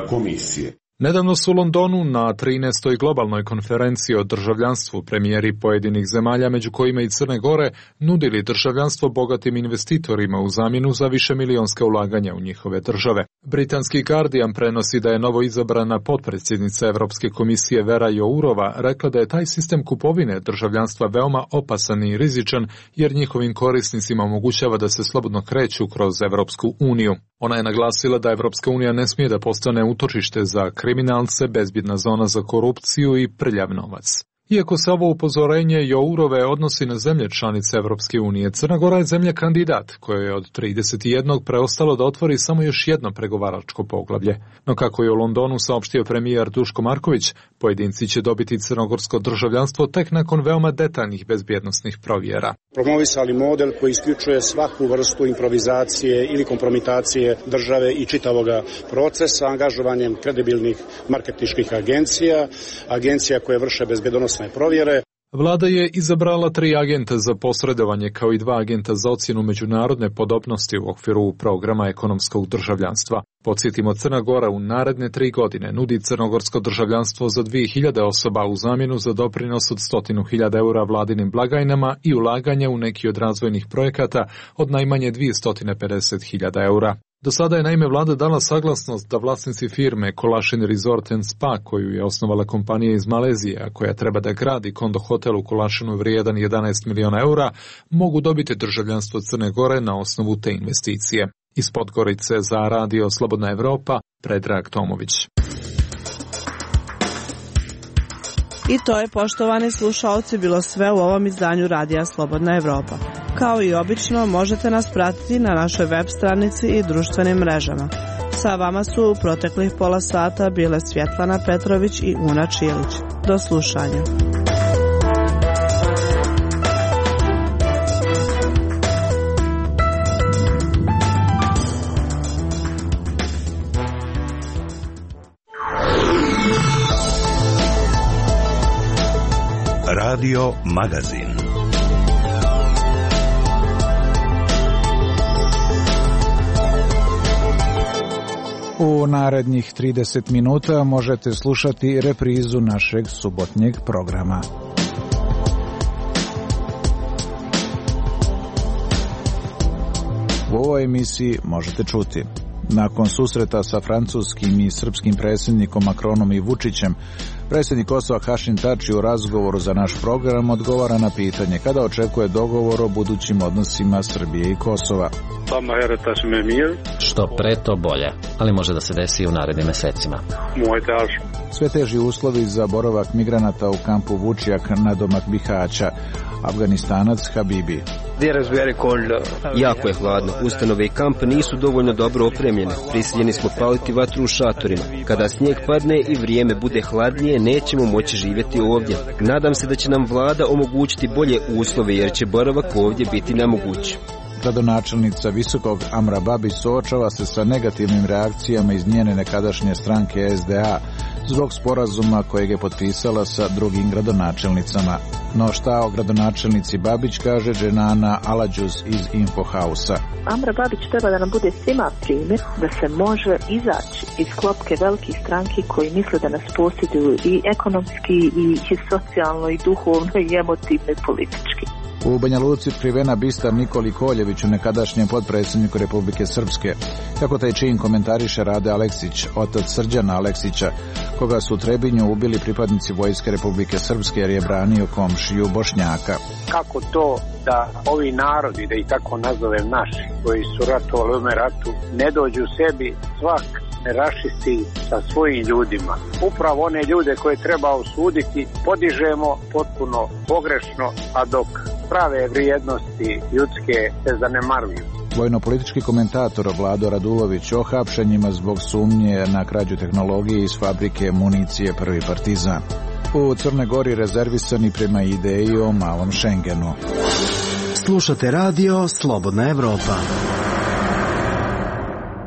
komisije. Nedavno su u Londonu na 13. globalnoj konferenciji o državljanstvu premijeri pojedinih zemalja, među kojima i Crne Gore, nudili državljanstvo bogatim investitorima u zamjenu za višemilijonska ulaganja u njihove države. Britanski Guardian prenosi da je novo izabrana potpredsjednica Evropske komisije Vera Jourova rekla da je taj sistem kupovine državljanstva veoma opasan i rizičan jer njihovim korisnicima omogućava da se slobodno kreću kroz Evropsku uniju. Ona je naglasila da Evropska unija ne smije da postane utočište za kriminalce, bezbjedna zona za korupciju i prljav novac. Iako se ovo upozorenje Jourove odnosi na zemlje članice Evropske unije, Crna Gora je zemlja kandidat, koja je od 31. preostalo da otvori samo još jedno pregovaračko poglavlje. No kako je u Londonu saopštio premijer Duško Marković, pojedinci će dobiti crnogorsko državljanstvo tek nakon veoma detaljnih bezbjednosnih provjera. Promovisali model koji isključuje svaku vrstu improvizacije ili kompromitacije države i čitavoga procesa angažovanjem kredibilnih marketinških agencija koje vrše bezbjednosne provjere. Vlada je izabrala 3 agenta za posredovanje kao i 2 agenta za ocjenu međunarodne podobnosti u okviru programa ekonomskog državljanstva. Podsjetimo, Crna Gora u naredne 3 godine nudi crnogorsko državljanstvo za 2000 osoba u zamjenu za doprinos od 100.000 eura vladinim blagajnama i ulaganje u neki od razvojnih projekata od najmanje 250.000 eura. Do sada je naime vlada dala saglasnost da vlasnici firme Kolašin Resort & Spa, koju je osnovala kompanija iz Malezije, a koja treba da gradi kondo hotel u Kolašinu vrijedan 11 miliona eura, mogu dobiti državljanstvo Crne Gore na osnovu te investicije. Iz Podgorice za Radio Slobodna Evropa, Predrag Tomović. I to je, poštovani slušaoci, bilo sve u ovom izdanju Radija Slobodna Evropa. Kao i obično, možete nas pratiti na našoj web stranici i društvenim mrežama. Sa vama su u proteklih pola sata bile Svjetlana Petrović i Una Čilić. Do slušanja. Radio Magazin. U narednih 30 minuta možete slušati reprizu našeg subotnjeg programa. U ovoj emisiji možete čuti: nakon susreta sa francuskim i srpskim predsjednikom Macronom i Vučićem, predsjednik Kosova Hašim Tači u razgovoru za naš program odgovara na pitanje kada očekuje dogovor o budućim odnosima Srbije i Kosova. Što pre to bolje, ali može da se desi i u narednim mesecima. Sve teži uslovi za boravak migranata u kampu Vučjak nadomak Bihaća. Afganistanac Habibi. Jako je hladno. Ustanove i kamp nisu dovoljno dobro opremljene. Prisiljeni smo paliti vatru u šatorima. Kada snijeg padne i vrijeme bude hladnije, nećemo moći živjeti ovdje. Nadam se da će nam vlada omogućiti bolje uslove, jer će boravak ovdje biti nemoguć. Gradonačelnica Visokog Amra Babić suočava se sa negativnim reakcijama iz njene nekadašnje stranke SDA zbog sporazuma kojeg je potpisala sa drugim gradonačelnicama. No šta o gradonačelnici Babić kaže Dženana Aladžuz iz Infohausa. Amra Babić treba da nam bude svima primjer da se može izaći iz klopke velikih stranki koji misle da nas posjeduju i ekonomski i socijalno i duhovno i emotivno i politički. U Banja Luci otkrivena bista Nikoli Koljeviću, nekadašnjem potpredsjedniku Republike Srpske. Kako taj čin komentariše Rade Aleksić, otac Srđana Aleksića, koga su u Trebinju ubili pripadnici Vojske Republike Srpske jer je branio komšiju Bošnjaka. Kako to da ovi narodi, da ih tako nazovem naši, koji su ratovali u ovome ratu, ne dođu sebi svak ne rašisti sa svojim ljudima. Upravo one ljude koje treba osuditi podižemo potpuno pogrešno, a dok prave vrijednosti ljudske se zanemaruju. Vojno-politički komentator Vlado Radulović o hapšenjima zbog sumnje na krađu tehnologije iz fabrike municije Prvi Partizan. U Crnoj Gori rezervisani prema ideji o malom Šengenu. Slušate radio Slobodna Evropa.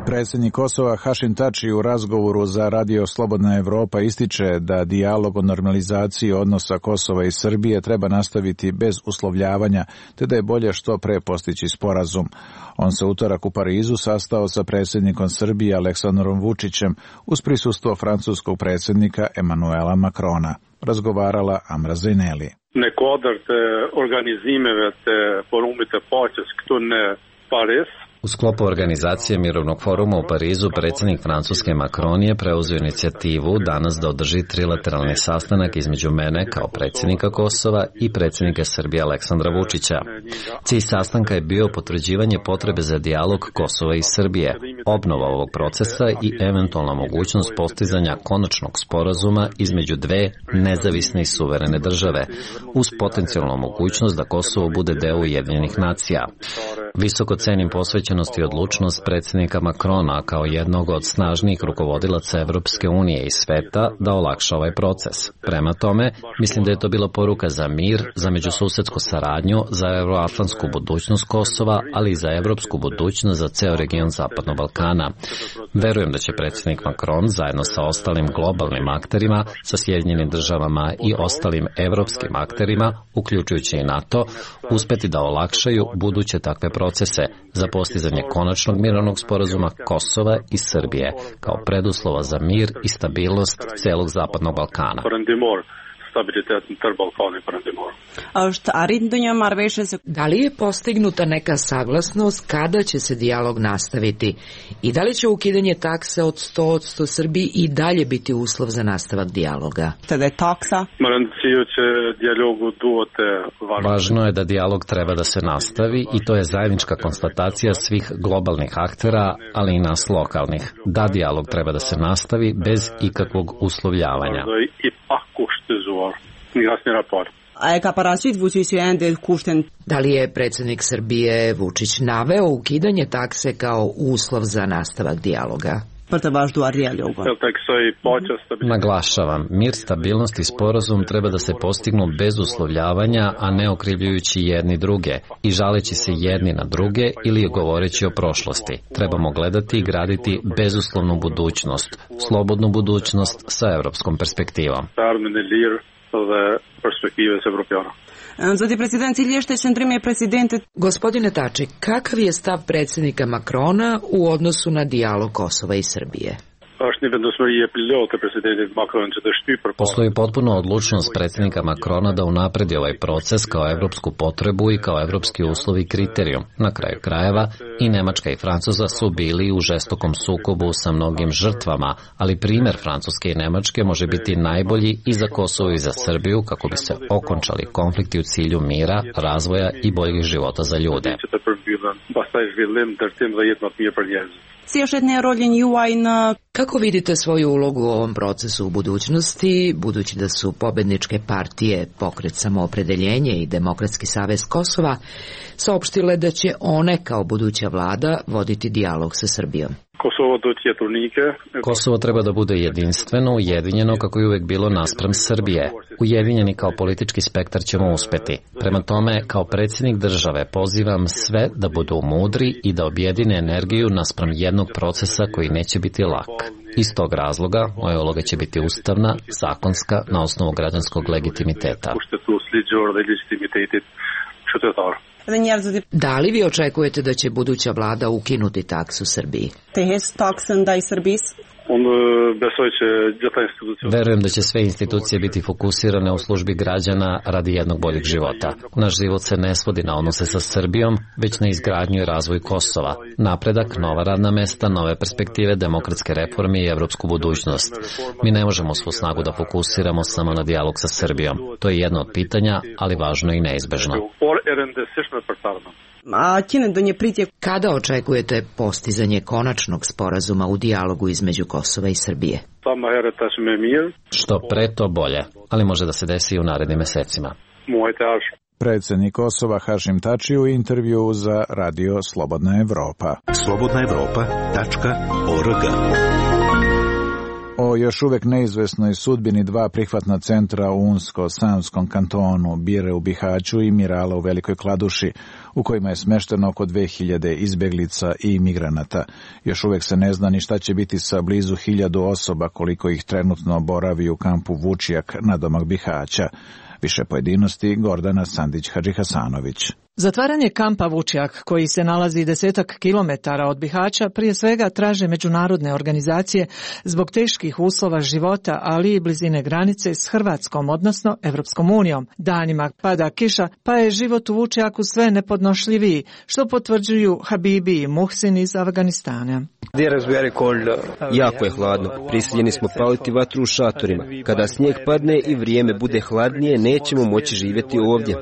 Predsjednik Kosova Hašim Tači u razgovoru za Radio Slobodna Evropa ističe da dijalog o normalizaciji odnosa Kosova i Srbije treba nastaviti bez uslovljavanja, te da je bolje što pre postići sporazum. On se utorak u Parizu sastao sa predsjednikom Srbije Aleksandrom Vučićem uz prisustvo francuskog predsjednika Emanuela Macrona. Razgovarala Amra Zejneli. U sklopu organizacije Mirovnog foruma u Parizu predsjednik Francuske Macron je preuzeo inicijativu danas da održi trilateralni sastanak između mene kao predsjednika Kosova i predsjednika Srbije Aleksandra Vučića. Cilj sastanka je bio potvrđivanje potrebe za dijalog Kosova i Srbije, obnova ovog procesa i eventualna mogućnost postizanja konačnog sporazuma između dve nezavisne i suverene države, uz potencijalnu mogućnost da Kosovo bude deo Ujedinjenih nacija. Visoko cenim posvećenost i odlučnost predsjednika Macrona kao jednog od snažnijih rukovodilaca Evropske unije i sveta da olakša ovaj proces. Prema tome, mislim da je to bila poruka za mir, za međususedsku saradnju, za euroatlantsku budućnost Kosova, ali i za evropsku budućnost za ceo region Zapadnog Balkana. Verujem da će predsjednik Macron zajedno sa ostalim globalnim akterima, sa Sjedinjenim državama i ostalim evropskim akterima, uključujući i NATO, uspeti da olakšaju buduće takve procese procese za postizanje konačnog mirovnog sporazuma Kosova i Srbije kao preduslova za mir i stabilnost celog Zapadnog Balkana. Da li je postignuta neka saglasnost kada će se dijalog nastaviti i da li će ukidanje takse od 100% Srbiji i dalje biti uslov za nastavak dijaloga? Važno je da dijalog treba da se nastavi i to je zajednička konstatacija svih globalnih aktera, ali i nas lokalnih. Da dijalog treba da se nastavi bez ikakvog uslovljavanja. Da li je predsjednik Srbije Vučić naveo ukidanje takse kao uslov za nastavak dijaloga? Naglašavam, mir, stabilnost i sporazum treba da se postignu bez uslovljavanja, a ne okrivljujući jedni druge i žaleći se jedni na druge ili govoreći o prošlosti. Trebamo gledati i graditi bezuslovnu budućnost, slobodnu budućnost sa evropskom perspektivom. Gospodine Tači, kakav je stav predsjednika Makrona u odnosu na dijalog Kosova i Srbije? Postoji potpuno odlučnost predsjednika Makrona da unapredi ovaj proces kao evropsku potrebu i kao evropski uslov i kriterijum. Na kraju krajeva i Nemačka i Francuska su bili u žestokom sukobu sa mnogim žrtvama, ali primjer Francuske i Nemačke može biti najbolji i za Kosovo i za Srbiju kako bi se okončali konflikti u cilju mira, razvoja i boljih života za ljude. Kako vidite svoju ulogu u ovom procesu u budućnosti, budući da su pobedničke partije Pokret samoopredeljenje i Demokratski savez Kosova saopštile da će one kao buduća vlada voditi dijalog sa Srbijom? Kosovo treba da bude jedinstveno, ujedinjeno kako je uvek bilo naspram Srbije. Ujedinjeni kao politički spektar ćemo uspeti. Prema tome, kao predsjednik države pozivam sve da budu mudri i da objedine energiju naspram jednog procesa koji neće biti lak. Iz tog razloga, moja uloga će biti ustavna, zakonska, na osnovu građanskog legitimiteta. Da li vi očekujete da će buduća vlada ukinuti taksu Srbiji? Verujem da će sve institucije biti fokusirane u službi građana radi jednog boljeg života. Naš život se ne svodi na odnose sa Srbijom, već na izgradnju i razvoj Kosova. Napredak, nova radna mesta, nove perspektive, demokratske reforme i evropsku budućnost. Mi ne možemo svu snagu da fokusiramo samo na dijalog sa Srbijom. To je jedno od pitanja, ali važno i neizbežno. Kada očekujete postizanje konačnog sporazuma u dijalogu između Kosova i Srbije? Što pre, to bolje, ali može da se desi i u narednim mesecima. Predsjednik Kosova Hašim Tači u intervju za Radio Slobodna Evropa. slobodnaevropa.org. O još uvek neizvesnoj sudbini dva prihvatna centra u Unsko-Sanskom kantonu, Bire u Bihaću i Mirala u Velikoj Kladuši, u kojima je smešteno oko 2000 izbeglica i migranata. Još uvek se ne zna ni šta će biti sa blizu 1000 osoba koliko ih trenutno boravi u kampu Vučijak nadomak Bihaća. Više pojedinosti Gordana Sandić-Hadžihasanović. Zatvaranje kampa Vučjak, koji se nalazi 10 kilometara od Bihaća, prije svega traže međunarodne organizacije zbog teških uslova života, ali i blizine granice s Hrvatskom, odnosno Evropskom unijom. Danima pada kiša, pa je život u Vučjaku sve nepodnošljiviji, što potvrđuju Habibi i Muhsin iz Afganistana. Jako je hladno. Prisiljeni smo paliti vatru u šatorima. Kada snijeg padne i vrijeme bude hladnije, nećemo moći živjeti ovdje.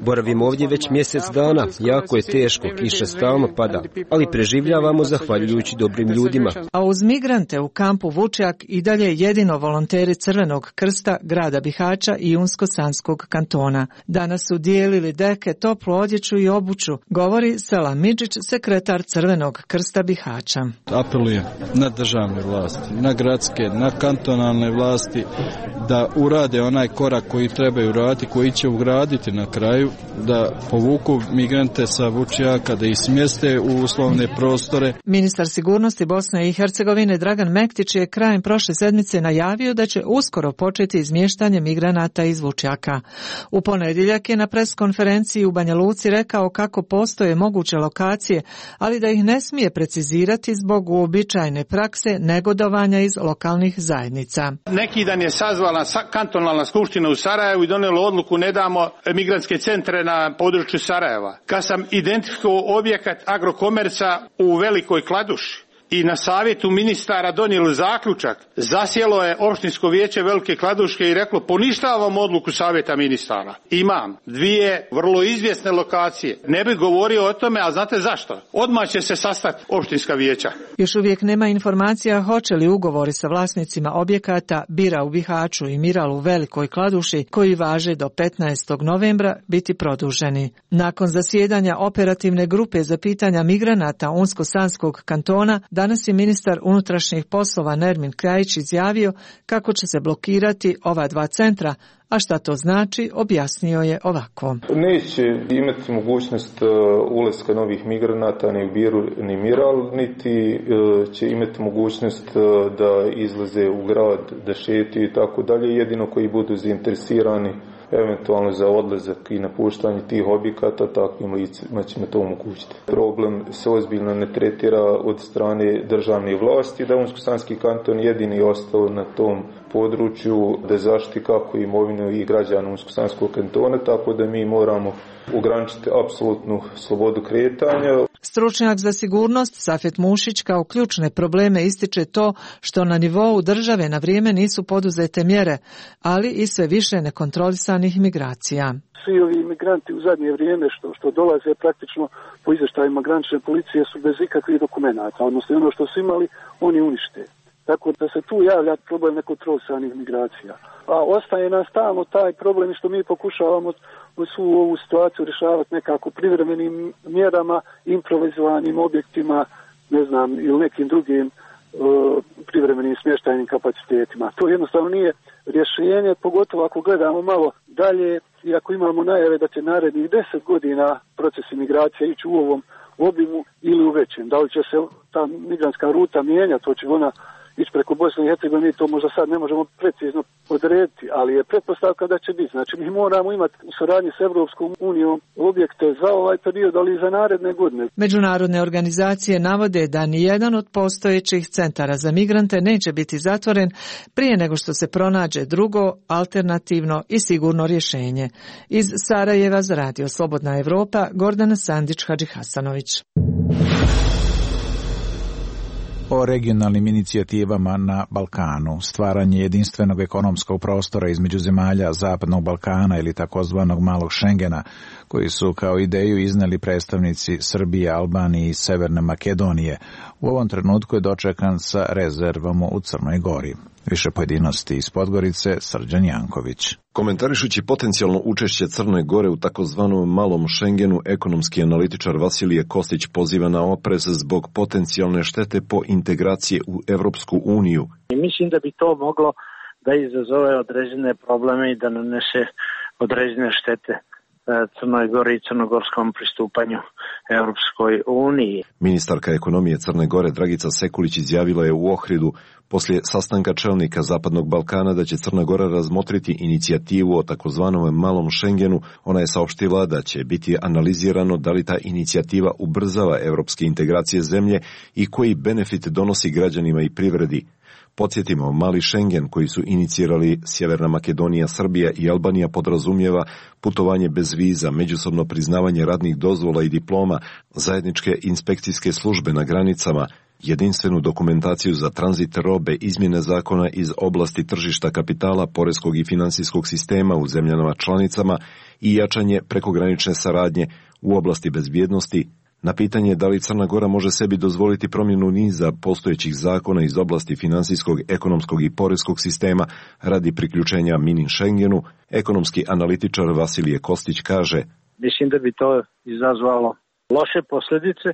Boravimo ovdje već mjesec dana. Jako je teško, kiša stalno pada, ali preživljavamo zahvaljujući dobrim ljudima. A uz migrante u kampu Vučjak i dalje jedino volonteri Crvenog krsta grada Bihaća i Unsko-Sanskog kantona. Danas su dijelili deke, toplu odjeću i obuću, govori Selam Midžić, sekretar Crvenog krsta Bihaća. Apelujem na državne vlasti, na gradske, na kantonalne vlasti da urade onaj korak koji trebaju uraditi, koji će ugraditi na kraju da povuku migrante sa Vučjaka, da ih smjeste u uslovne prostore. Ministar sigurnosti Bosne i Hercegovine Dragan Mektić je krajem prošle sedmice najavio da će uskoro početi izmještanje migranata iz Vučjaka. U ponedjeljak je na preskonferenciji u Banja Luci rekao kako postoje moguće lokacije, ali da ih ne smije precizirati zbog uobičajene prakse negodovanja iz lokalnih zajednica. Neki dan je sazvala kantonalna skupština u Sarajevu i donijela odluku ne damo migrantske centre na području Sarajeva. Kad sam identifikovao objekat Agrokomerca u Velikoj Kladuši i na savjetu ministara donijeli zaključak, zasjelo je opštinsko vijeće Velike Kladuške i reklo poništavam odluku savjeta ministara. Imam dvije vrlo izvjesne lokacije. Ne bih govorio o tome, a znate zašto? Odmah će se sastati opštinska vijeća. Još uvijek nema informacija hoće li ugovori sa vlasnicima objekata Bira u Bihaću i Miral u Velikoj Kladuši, koji važe do 15. novembra, biti produženi. Nakon zasjedanja operativne grupe za pitanja migranata Unsko-Sanskog kantona, danas je ministar unutrašnjih poslova Nermin Krajić izjavio kako će se blokirati ova dva centra, a šta to znači objasnio je ovako. Neće imati mogućnost ulaska novih migranata ni u Biru ni Miral, niti će imati mogućnost da izlaze u grad, da šetaju i tako dalje, jedino koji budu zainteresirani eventualno za odlazak i napuštanje tih objekata, takvim licima ćemo to omogućiti. Problem se ozbiljno ne tretira od strane državne vlasti, da Unsko-Sanski kanton jedini ostao na tom području da zaštiti kako imovinu i građana Unsko-Sanskog kantona, tako da mi moramo ograničiti apsolutnu slobodu kretanja. Stručnjak za sigurnost Safet Mušić kao ključne probleme ističe to što na nivou države na vrijeme nisu poduzete mjere, ali i sve više nekontrolisanih migracija. Svi ovi migranti u zadnje vrijeme što dolaze praktično po izvještajima granične policije su bez ikakvih dokumenata, odnosno ono što su imali oni unište. Tako da se tu javlja problem nekontrolisanih migracija. A ostaje nam stalno taj problem što mi pokušavamo svu ovu situaciju rješavati nekako privremenim mjerama, improvizovanim objektima, ne znam, ili nekim drugim privremenim smještajnim kapacitetima. To jednostavno nije rješenje, pogotovo ako gledamo malo dalje i ako imamo najave da će narednih 10 godina proces imigracije ići u ovom obimu ili u većem. Da li će se ta migrantska ruta mijenjati, to će ona ići preko Bosne i Hercegovine, mi to možda sad ne možemo precizno odrediti, ali je pretpostavka da će biti. Znači mi moramo imati u saradnji s Evropskom unijom objekte za ovaj period, ali i za naredne godine. Međunarodne organizacije navode da nijedan od postojećih centara za migrante neće biti zatvoren prije nego što se pronađe drugo, alternativno i sigurno rješenje. Iz Sarajeva za Radio Slobodna Evropa, Gordana Sandić-Hadžihasanović. O regionalnim inicijativama na Balkanu, stvaranje jedinstvenog ekonomskog prostora između zemalja Zapadnog Balkana ili takozvanog malog Šengena, koji su kao ideju izneli predstavnici Srbije, Albanije i Severne Makedonije, u ovom trenutku je dočekan sa rezervom u Crnoj Gori. Više pojedinosti iz Podgorice, Srđan Janković. Komentarišući potencijalno učešće Crne Gore u takozvanom malom Šengenu, ekonomski analitičar Vasilije Kostić poziva na oprez zbog potencijalne štete po integracije u Evropsku uniju. Mislim da bi to moglo da izazove određene probleme i da nanese određene štete Crnoj Gori i crnogorskom pristupanju Evropskoj uniji. Ministarka ekonomije Crne Gore Dragica Sekulić izjavila je u Ohridu poslije sastanka čelnika Zapadnog Balkana da će Crna Gora razmotriti inicijativu o takozvanom malom Šengenu. Ona je saopštila da će biti analizirano da li ta inicijativa ubrzava evropske integracije zemlje i koji benefit donosi građanima i privredi. Podsjetimo, mali Šengen koji su inicirali Sjeverna Makedonija, Srbija i Albanija podrazumijeva putovanje bez viza, međusobno priznavanje radnih dozvola i diploma, zajedničke inspekcijske službe na granicama, jedinstvenu dokumentaciju za tranzit robe, izmjene zakona iz oblasti tržišta kapitala, poreskog i finansijskog sistema u zemljama članicama i jačanje prekogranične saradnje u oblasti bezbjednosti. Na pitanje da li Crna Gora može sebi dozvoliti promjenu niza postojećih zakona iz oblasti finansijskog, ekonomskog i poreskog sistema radi priključenja mini Schengenu, ekonomski analitičar Vasilije Kostić kaže: Mislim da bi to izazvalo loše posljedice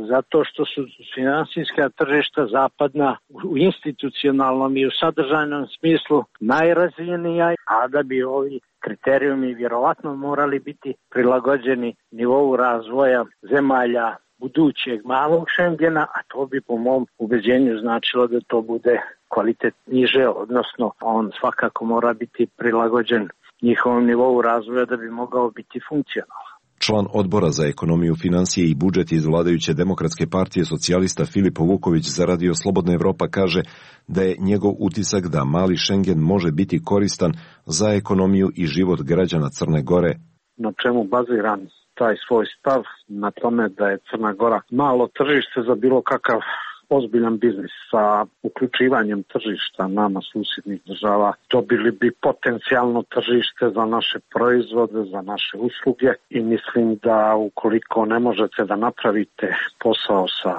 zato što su finansijska tržišta zapadna u institucionalnom i u sadržajnom smislu najrazvijenija, a da bi ovi kriterijumi vjerovatno morali biti prilagođeni nivou razvoja zemalja budućeg malog Schengena, a to bi po mom ubeđenju značilo da to bude kvalitet niže, odnosno on svakako mora biti prilagođen njihovom nivou razvoja da bi mogao biti funkcionalan. Član odbora za ekonomiju, financije i budžet iz vladajuće Demokratske partije socijalista Filipo Vuković za Radio Slobodna Evropa kaže da je njegov utisak da mali Schengen može biti koristan za ekonomiju i život građana Crne Gore. Na čemu baziram taj svoj stav? Na tome da je Crna Gora malo tržište za bilo kakav ozbiljan biznis. Sa uključivanjem tržišta nama susjednih država dobili bi potencijalno tržište za naše proizvode, za naše usluge i mislim da ukoliko ne možete da napravite posao sa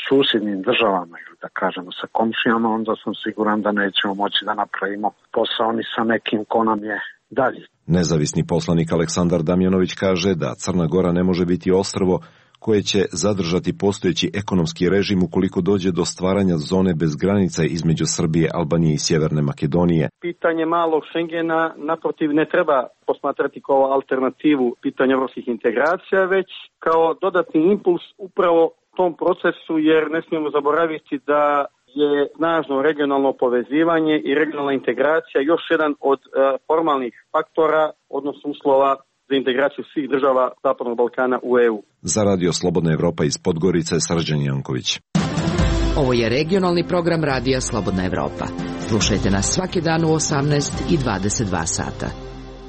susjednim državama ili da kažemo sa komšijama, onda sam siguran da nećemo moći da napravimo posao ni sa nekim ko nam je dalje. Nezavisni poslanik Aleksandar Damjanović kaže da Crna Gora ne može biti ostrvo koje će zadržati postojeći ekonomski režim ukoliko dođe do stvaranja zone bez granica između Srbije, Albanije i Sjeverne Makedonije. Pitanje malog Schengena naprotiv ne treba posmatrati kao alternativu pitanja evropskih integracija, već kao dodatni impuls upravo tom procesu, jer ne smijemo zaboraviti da je snažno regionalno povezivanje i regionalna integracija još jedan od formalnih faktora, odnosno uslova za integraciju svih država Zapadnog Balkana u EU. Za Radio Slobodna Evropa iz Podgorice, Srđan Janković. Ovo je regionalni program Radija Slobodna Evropa. Slušajte nas svaki dan u 18 i 22 sata.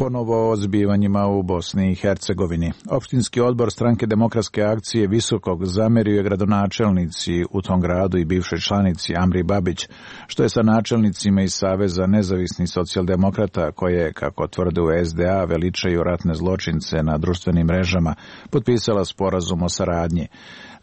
Ponovo o zbivanjima u Bosni i Hercegovini. Opštinski odbor Stranke demokratske akcije Visokog zamerio je gradonačelnici u tom gradu i bivšoj članici Amri Babić, što je sa načelnicima iz Saveza nezavisnih socijaldemokrata koje, kako tvrde u SDA, veličaju ratne zločince na društvenim mrežama, potpisala sporazum o saradnji.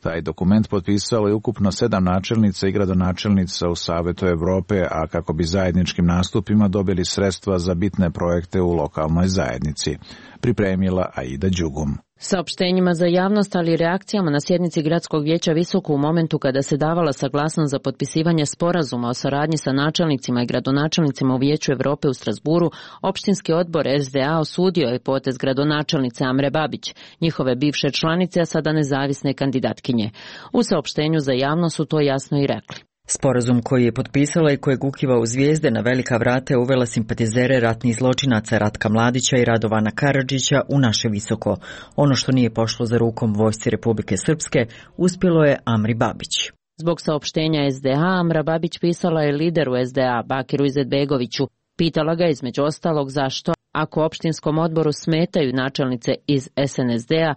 Taj dokument potpisalo je ukupno 7 načelnica i gradonačelnica u Savetu Evrope, a kako bi zajedničkim nastupima dobili sredstva za bitne projekte u lokalnoj zajednici. Pripremila Aida Đugum. Saopštenjima za javnost, ali i reakcijama na sjednici Gradskog vijeća Visoko u momentu kada se davala saglasnost za potpisivanje sporazuma o saradnji sa načelnicima i gradonačelnicima u Vijeću Evrope u Strasburu, opštinski odbor SDA osudio je potez gradonačelnice Amre Babić, njihove bivše članice, a sada nezavisne kandidatkinje. U saopštenju za javnost su to jasno i rekli. Sporazum koji je potpisala i kojeg ukiva u zvijezde na velika vrata je uvela simpatizere ratnih zločinaca Ratka Mladića i Radovana Karadžića u naše Visoko. Ono što nije pošlo za rukom vojsci Republike Srpske uspjelo je Amri Babić. Zbog saopštenja SDA, Amra Babić pisala je lideru SDA, Bakiru Izetbegoviću. Pitala ga između ostalog zašto, ako opštinskom odboru smetaju načelnice iz SNSD-a,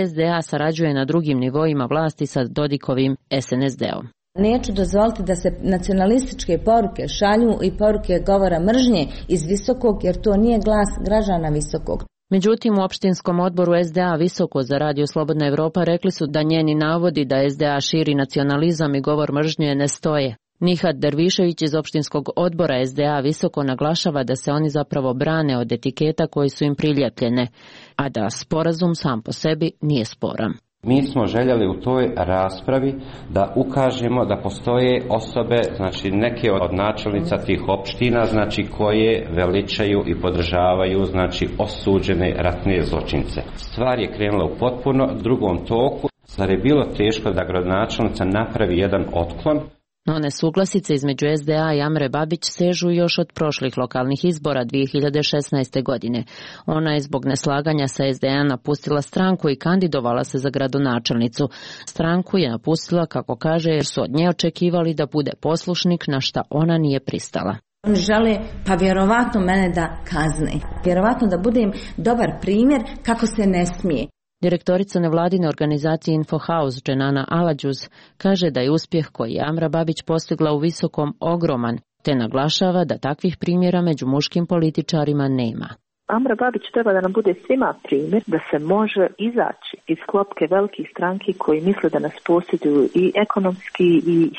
SDA sarađuje na drugim nivoima vlasti sa Dodikovim SNSD-om. Neću dozvoliti da se nacionalističke poruke šalju i poruke govora mržnje iz Visokog, jer to nije glas građana Visokog. Međutim, u opštinskom odboru SDA Visoko za Radio Slobodna Evropa rekli su da njeni navodi da SDA širi nacionalizam i govor mržnje ne stoje. Nihat Dervišević iz opštinskog odbora SDA Visoko naglašava da se oni zapravo brane od etiketa koji su im priljepljene, a da sporazum sam po sebi nije sporan. Mi smo željeli u toj raspravi da ukažemo da postoje osobe, znači neke od načelnica tih opština, znači koje veličaju i podržavaju, znači osuđene ratne zločince. Stvar je krenula u potpuno drugom toku. Zar je bilo teško da gradonačelnica napravi jedan otklon? No nesuglasice između SDA i Amre Babić sežu još od prošlih lokalnih izbora 2016. godine. Ona je zbog neslaganja sa SDA napustila stranku i kandidovala se za gradonačelnicu. Stranku je napustila, kako kaže, jer su od nje očekivali da bude poslušnik, na šta ona nije pristala. Oni žele pa vjerovatno mene da kazne. Vjerovatno da budem dobar primjer kako se ne smije. Direktorica nevladine organizacije Infohouse Dženana Aladžuz kaže da je uspjeh koji je Amra Babić postigla u Visokom ogroman, te naglašava da takvih primjera među muškim političarima nema. Amra Babić treba da nam bude svima primjer da se može izaći iz klopke velikih stranki koji misle da nas posjeduju i ekonomski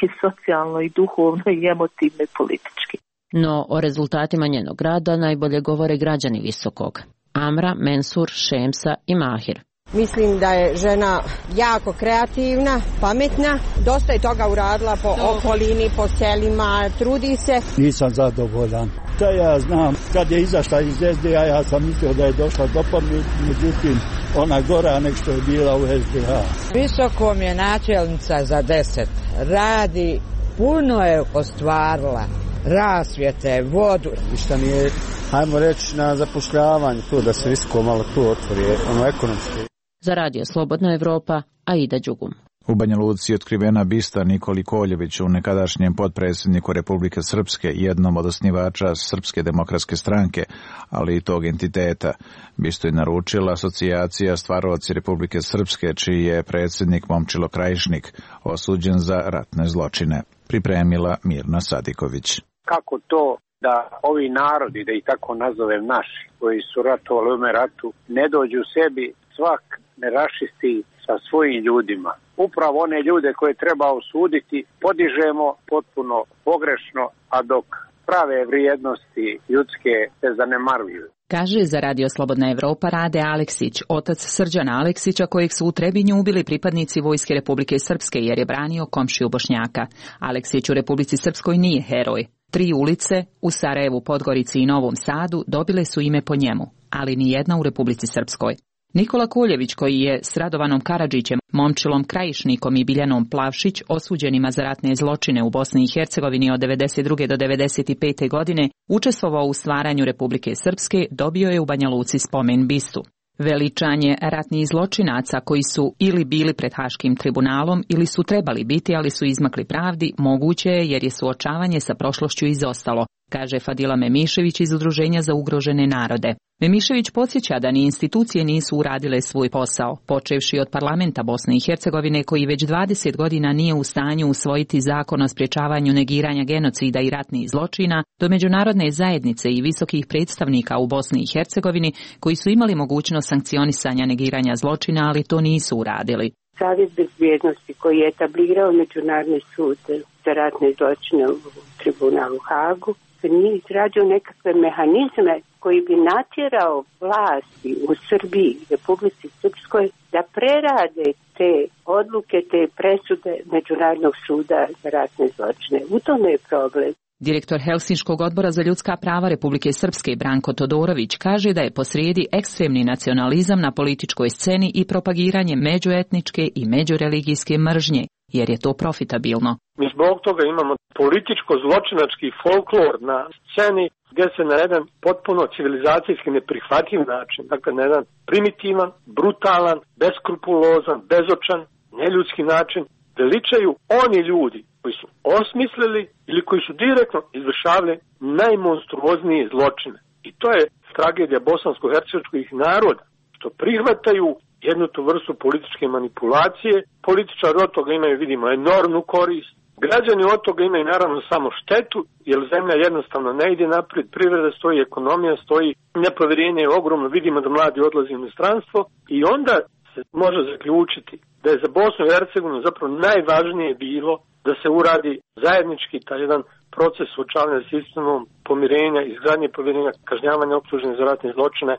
i socijalno i duhovno i emotivno i politički. No o rezultatima njenog rada najbolje govore građani Visokog. Amra, Mensur, Šemsa i Mahir. Mislim da je žena jako kreativna, pametna, dosta je toga uradila po okolini, po selima, trudi se. Nisam zadovoljan. Da ja znam, kad je izašla iz SDA, ja sam mislio da je došla do pameti, međutim, ona gora nek što je bila u SDA. Visokom je načelnica za 10. Radi, puno je ostvarila. Rasvjete, vodu. Ništa nije, hajmo reći, na zapošljavanju tu, da se visoko malo tu otvori, ekonomski. Za Radio Slobodna Evropa, Aida Đugum. U Banja Luci je otkrivena bista Nikoli Koljeviću, nekadašnjem potpredsjedniku Republike Srpske, jednom od osnivača Srpske demokratske stranke, ali i tog entiteta. Bistu je naručila asocijacija Stvaraoci Republike Srpske, čiji je predsjednik Momčilo Krajišnik, osuđen za ratne zločine. Pripremila Mirna Sadiković. Kako to da ovi narodi, da ih tako nazovem naši, koji su ratovali u ovome ratu, ne dođu sebi, svak ne rašisti sa svojim ljudima. Upravo one ljude koje treba osuditi podižemo potpuno pogrešno, a dok prave vrijednosti ljudske se zanemaruju. Kaže za Radio Slobodna Evropa Rade Aleksić, otac Srđana Aleksića, kojeg su u Trebinju ubili pripadnici Vojske Republike Srpske jer je branio komšiju Bošnjaka. Aleksić u Republici Srpskoj nije heroj. 3 ulice u Sarajevu, Podgorici i Novom Sadu dobile su ime po njemu, ali ni jedna u Republici Srpskoj. Nikola Koljević, koji je s Radovanom Karadžićem, Momčilom Krajišnikom i Biljanom Plavšić, osuđenima za ratne zločine u Bosni i Hercegovini od 1992. do 1995. godine, učestvovao u stvaranju Republike Srpske, dobio je u Banja Luci spomen bistu. Veličanje ratnih zločinaca koji su ili bili pred Haškim tribunalom ili su trebali biti, ali su izmakli pravdi, moguće je jer je suočavanje sa prošlošću izostalo, kaže Fadila Memišević iz Udruženja za ugrožene narode. Memišević podsjeća da ni institucije nisu uradile svoj posao, počevši od parlamenta Bosne i Hercegovine koji već 20 godina nije u stanju usvojiti zakon o sprječavanju negiranja genocida i ratnih zločina, do međunarodne zajednice i visokih predstavnika u Bosni i Hercegovini koji su imali mogućnost sankcionisanja negiranja zločina, ali to nisu uradili. Savjet bezbjednosti koji je etablirao Međunarodni sud za ratne zločine u tribunalu Hagu nije izradio nekakve mehanizme koji bi natjerao vlasti u Srbiji i Republici Srpskoj da prerade te odluke, te presude Međunarodnog suda za ratne zločine. U tome je problem. Direktor Helsinškog odbora za ljudska prava Republike Srpske Branko Todorović kaže da je posrijedi ekstremni nacionalizam na političkoj sceni i propagiranje međuetničke i međureligijske mržnje, jer je to profitabilno. Mi zbog toga imamo političko-zločinački folklor na sceni gdje se na jedan potpuno civilizacijski neprihvatljiv način, dakle na jedan primitivan, brutalan, beskrupulozan, bezočan, neljudski način veličaju oni ljudi koji su osmislili ili koji su direktno izvršavali najmonstruoznije zločine. I to je tragedija bosansko-hercegovačkih naroda, što prihvataju jednu tu vrstu političke manipulacije. Političari od toga imaju, vidimo, enormnu korist. Građani od toga imaju naravno samo štetu, jer zemlja jednostavno ne ide naprijed, privreda stoji, ekonomija stoji, nepovjerenje je ogromno, vidimo da mladi odlaze u inostranstvo i onda se može zaključiti da je za Bosnu i Hercegovinu zapravo najvažnije bilo da se uradi zajednički taj jedan proces suočavanja s istinom, pomirenja, izgradnje povjerenja, kažnjavanja optuženih za ratne zločine,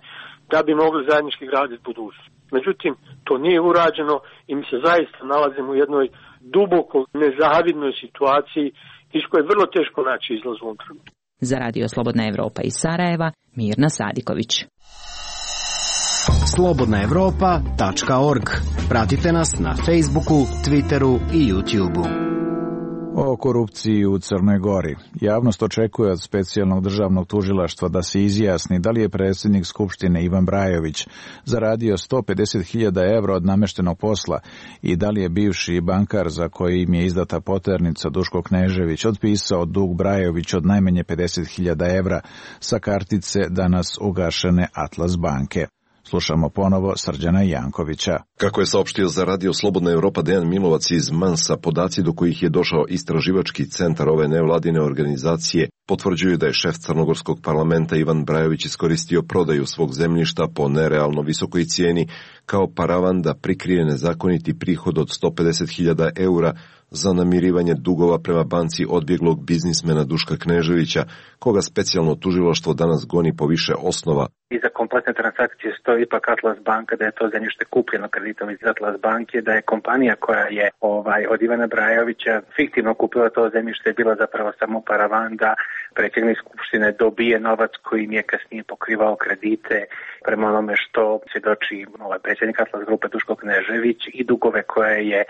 da bi mogli zajednički graditi budućnost. Međutim, to nije urađeno i mi se zaista nalazimo u jednoj duboko nezavidnoj situaciji iz koje je vrlo teško naći izlaz u ovom trenutku. Za Radio Slobodna Evropa iz Sarajeva, Mirna Sadiković. slobodnaevropa.org. Pratite nas na Facebooku, Twitteru i YouTubeu. O korupciji u Crnoj Gori. Javnost očekuje od specijalnog državnog tužilaštva da se izjasni da li je predsjednik Skupštine Ivan Brajović zaradio 150.000 evra od nameštenog posla i da li je bivši bankar za koji im je izdata poternica Duško Knežević otpisao dug Brajović od najmanje 50.000 evra sa kartice danas ugašene Atlas banke. Slušamo ponovo Srđana Jankovića. Kako je saopštio za Radio Slobodna Evropa Dejan Milovac iz Mansa, podaci do kojih je došao istraživački centar ove nevladine organizacije potvrđuju da je šef crnogorskog parlamenta Ivan Brajović iskoristio prodaju svog zemljišta po nerealno visokoj cijeni kao paravan da prikrije nezakoniti prihod od 150.000 eura za namirivanje dugova prema banci odbjeglog biznismena Duška Kneževića, koga specijalno tužilaštvo danas goni po više osnova. Iza kompletne transakcije stoji ipak Atlas banka, da je to zemljište kupljeno kreditom iz Atlas banke, da je kompanija koja je od Ivana Brajovića fiktivno kupila to zemljište bila zapravo samo paravan da predsjednik skupštine dobije novac kojim je kasnije pokrivao kredite prema onome što svjedoči predsjednik Atlas grupe Duško Knežević i dugove koje je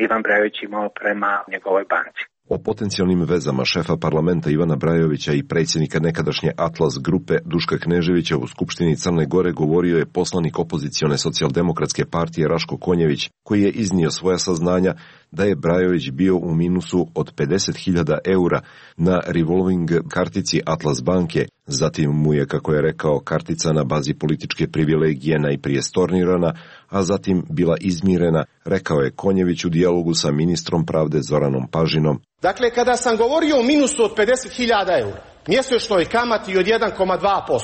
Ivan Brajović imao prema njegovoj banci. O potencijalnim vezama šefa parlamenta Ivana Brajovića i predsjednika nekadašnje Atlas grupe Duška Kneževića u Skupštini Crne Gore govorio je poslanik opozicione socijaldemokratske partije Raško Konjević, koji je iznio svoja saznanja da je Brajović bio u minusu od 50.000 eura na revolving kartici Atlas banke. Zatim mu je, kako je rekao, kartica na bazi političke privilegije najprije stornirana, a zatim bila izmirena, rekao je Konjević u dijalogu sa ministrom pravde Zoranom Pažinom. Dakle, kada sam govorio o minusu od 50.000 eura, mjesečnoj kamati od 1,2%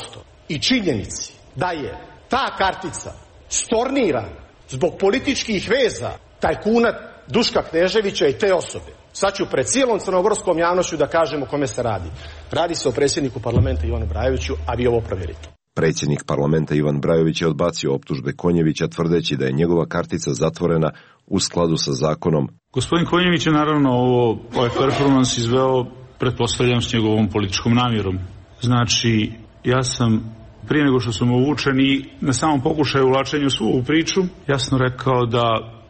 i činjenici da je ta kartica stornirana zbog političkih veza tajkuna Duška Kneževića i te osobe, sad ću pred cijelom crnogorskom javnošću da kažem o kome se radi. Radi se o predsjedniku parlamenta Ivanu Brajoviću, a vi ovo provjerite. Predsjednik parlamenta Ivan Brajović je odbacio optužbe Konjevića tvrdeći da je njegova kartica zatvorena u skladu sa zakonom. Gospodin Konjević je naravno ovaj performans izveo, pretpostavljam, s njegovom političkom namjerom. Znači, ja sam prije nego što sam uvučen i na samom pokušaju ulačenja u svu ovu priču jasno rekao da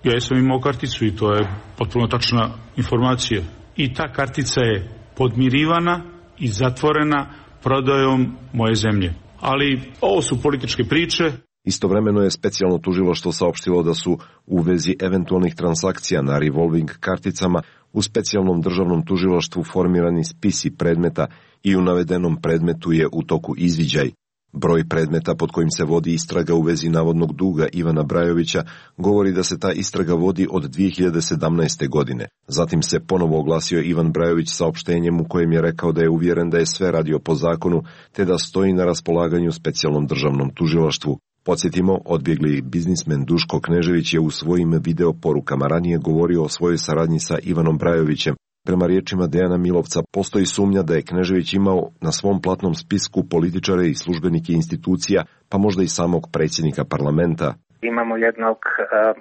ja sam imao karticu i to je potpuno tačna informacija. I ta kartica je podmirivana i zatvorena prodajom moje zemlje. Ali ovo su političke priče. Istovremeno je specijalno tužilaštvo saopštilo da su u vezi eventualnih transakcija na revolving karticama u specijalnom državnom tužilaštvu formirani spisi predmeta i u navedenom predmetu je u toku izviđaj. Broj predmeta pod kojim se vodi istraga u vezi navodnog duga Ivana Brajovića govori da se ta istraga vodi od 2017. godine. Zatim se ponovo oglasio Ivan Brajović saopštenjem u kojem je rekao da je uvjeren da je sve radio po zakonu te da stoji na raspolaganju specijalnom državnom tužilaštvu. Podsjetimo, odbjegli biznismen Duško Knežević je u svojim video porukama ranije govorio o svojoj saradnji sa Ivanom Brajovićem. Prema riječima Dejana Milovca, postoji sumnja da je Knežević imao na svom platnom spisku političare i službenike institucija, pa možda i samog predsjednika parlamenta. Imamo jednog,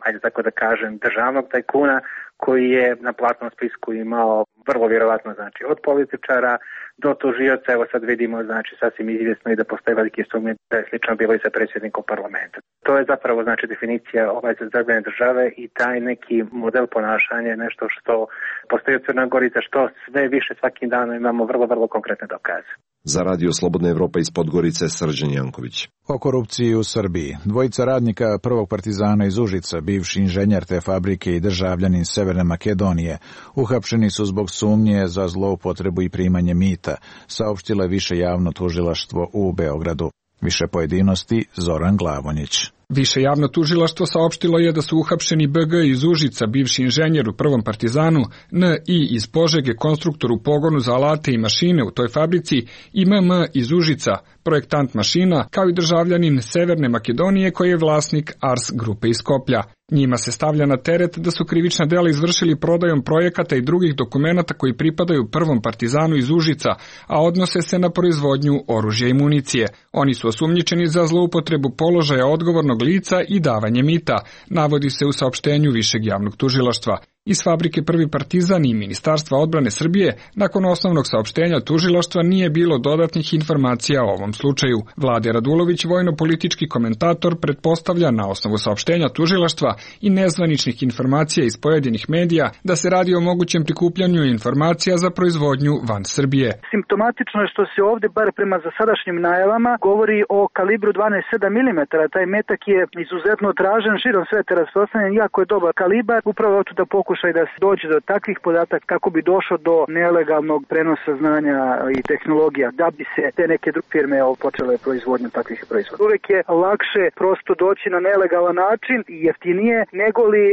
ajde tako da kažem, državnog tajkuna koji je na platnom spisku imao vrlo vjerovatno, znači, od političara do tužioca. Evo sad vidimo, znači, sasvim izvjesno i da postoje velike sumnje da je slično bilo i sa predsjednikom parlamenta. To je zapravo, znači, definicija zaglavljene države i taj neki model ponašanja je nešto što postoji u Crnoj Gori, za što sve više svakim danom imamo vrlo, vrlo konkretne dokaze. Za Radio Slobodna Evropa iz Podgorice, Srđan Janković. O korupciji u Srbiji. Dvojica radnika prvog partizana iz Užica, bivši inženjer te fabrike i državljanin Severne Makedonije, uhapšeni su zbog sumnje za zloupotrebu i primanje mita, saopštilo je više javno tužilaštvo u Beogradu. Više pojedinosti Zoran Glavonjić. Više javno tužilaštvo saopštilo je da su uhapšeni BG iz Užica, bivši inženjer u prvom partizanu, NI iz Požege, konstruktor u pogonu za alate i mašine u toj fabrici i MM iz Užica, projektant mašina, kao i državljanin Severne Makedonije koji je vlasnik Ars grupe iz Skoplja. Njima se stavlja na teret da su krivična dela izvršili prodajom projekata i drugih dokumenata koji pripadaju prvom partizanu iz Užica, a odnose se na proizvodnju oružja i municije. Oni su osumnjičeni za zloupotrebu položaja odgovornog lica i davanje mita, navodi se u saopštenju Višeg javnog tužilaštva. Iz fabrike Prvi partizan i Ministarstva odbrane Srbije, nakon osnovnog saopštenja tužilaštva nije bilo dodatnih informacija o ovom slučaju. Vlade Radulović, vojno-politički komentator, pretpostavlja na osnovu saopštenja tužilaštva i nezvaničnih informacija iz pojedinih medija da se radi o mogućem prikupljanju informacija za proizvodnju van Srbije. Simptomatično je što se ovdje, bar prema zasadašnjim najavama, govori o kalibru 12,7 mm. Taj metak je izuzetno tražen, širom sveta rasprostranjen, jako je dobar kalibar, upravo da pokušaju pokušaj da se dođe do takvih podataka kako bi došlo do nelegalnog prenosa znanja i tehnologija, da bi se te neke druge firme počele proizvodnju takvih proizvoda. Uvek je lakše prosto doći na nelegalan način i jeftinije nego li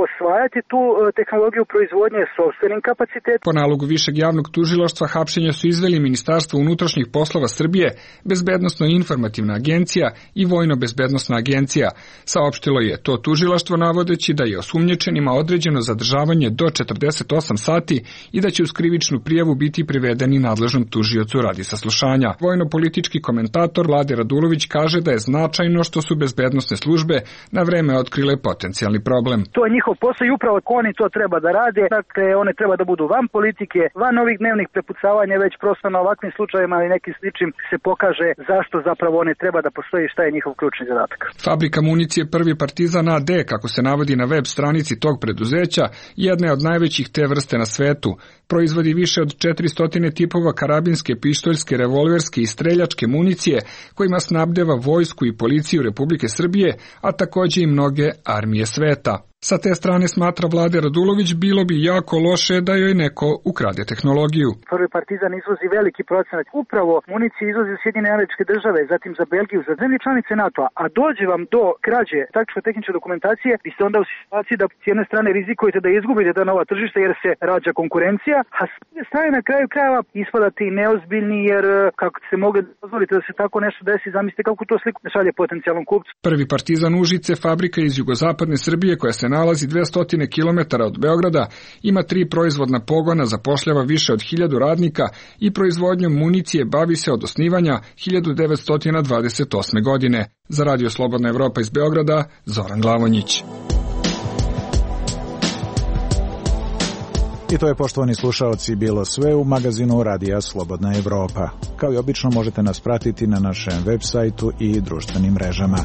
osvajati tu tehnologiju proizvodnje sopstvenim kapacitetom. Po nalogu Višeg javnog tužilaštva hapšenja su izveli Ministarstvo unutrašnjih poslova Srbije, Bezbednosno-informativna agencija i Vojno-bezbednosna agencija. Saopštilo je to tužilaštvo navodeći da je osumnjičenima određeno zadržavanje do 48 sati i da će uz krivičnu prijavu biti privedeni nadležnom tužiocu radi saslušanja. Vojno-politički komentator Vlade Radulović kaže da je značajno što su bezbednosne službe na vreme otkrile potencijalni problem. To je njihov posao i upravo oni to treba da rade. Dakle, one treba da budu van politike, van ovih dnevnih prepucavanja, već prosto na ovakvim slučajevima i nekim sličnim se pokaže zašto zapravo one treba da postoji i šta je njihov ključni zadatak. Fabrika municije Prvi Partizan AD, kako se navodi na web stranici tog preduzeća, jedna je od najvećih te vrste na svetu. Proizvodi više od 400 tipova karabinske, pištoljske, revolverske i streljačke municije kojima snabdeva vojsku i policiju Republike Srbije, a takođe i mnoge armije sveta. Sa te strane, smatra Vlade Radulović, bilo bi jako loše da joj neko ukrade tehnologiju. Prvi Partizan izvozi veliki procenat. Upravo municije izvozi u Sjedinjene Američke Države, zatim za Belgiju, za zemlje članice NATO-a, a dođe vam do krađe taktičko-tehničke dokumentacije, vi ste onda u situaciji da s jedne strane rizikujete da izgubite ta nova tržišta jer se rađa konkurencija, a s druge strane na kraju krajeva ispadate i neozbiljni jer kako se mogli dozvoliti da se tako nešto desi, zamislite kako to sliku šalje potencijalnom kupcu. Prvi Partizan Užice, fabrika iz jugozapadne Srbije koja se nalazi 200 km od Beograda, ima 3 proizvodna pogona, zapošljava više od 1000 radnika i proizvodnjom municije bavi se od osnivanja 1928. godine. Za Radio Slobodna Evropa iz Beograda, Zoran Glavonjić. I to je, poštovani slušaoci, bilo sve u magazinu Radija Slobodna Evropa. Kao i obično možete nas pratiti na našem web sajtu i društvenim mrežama.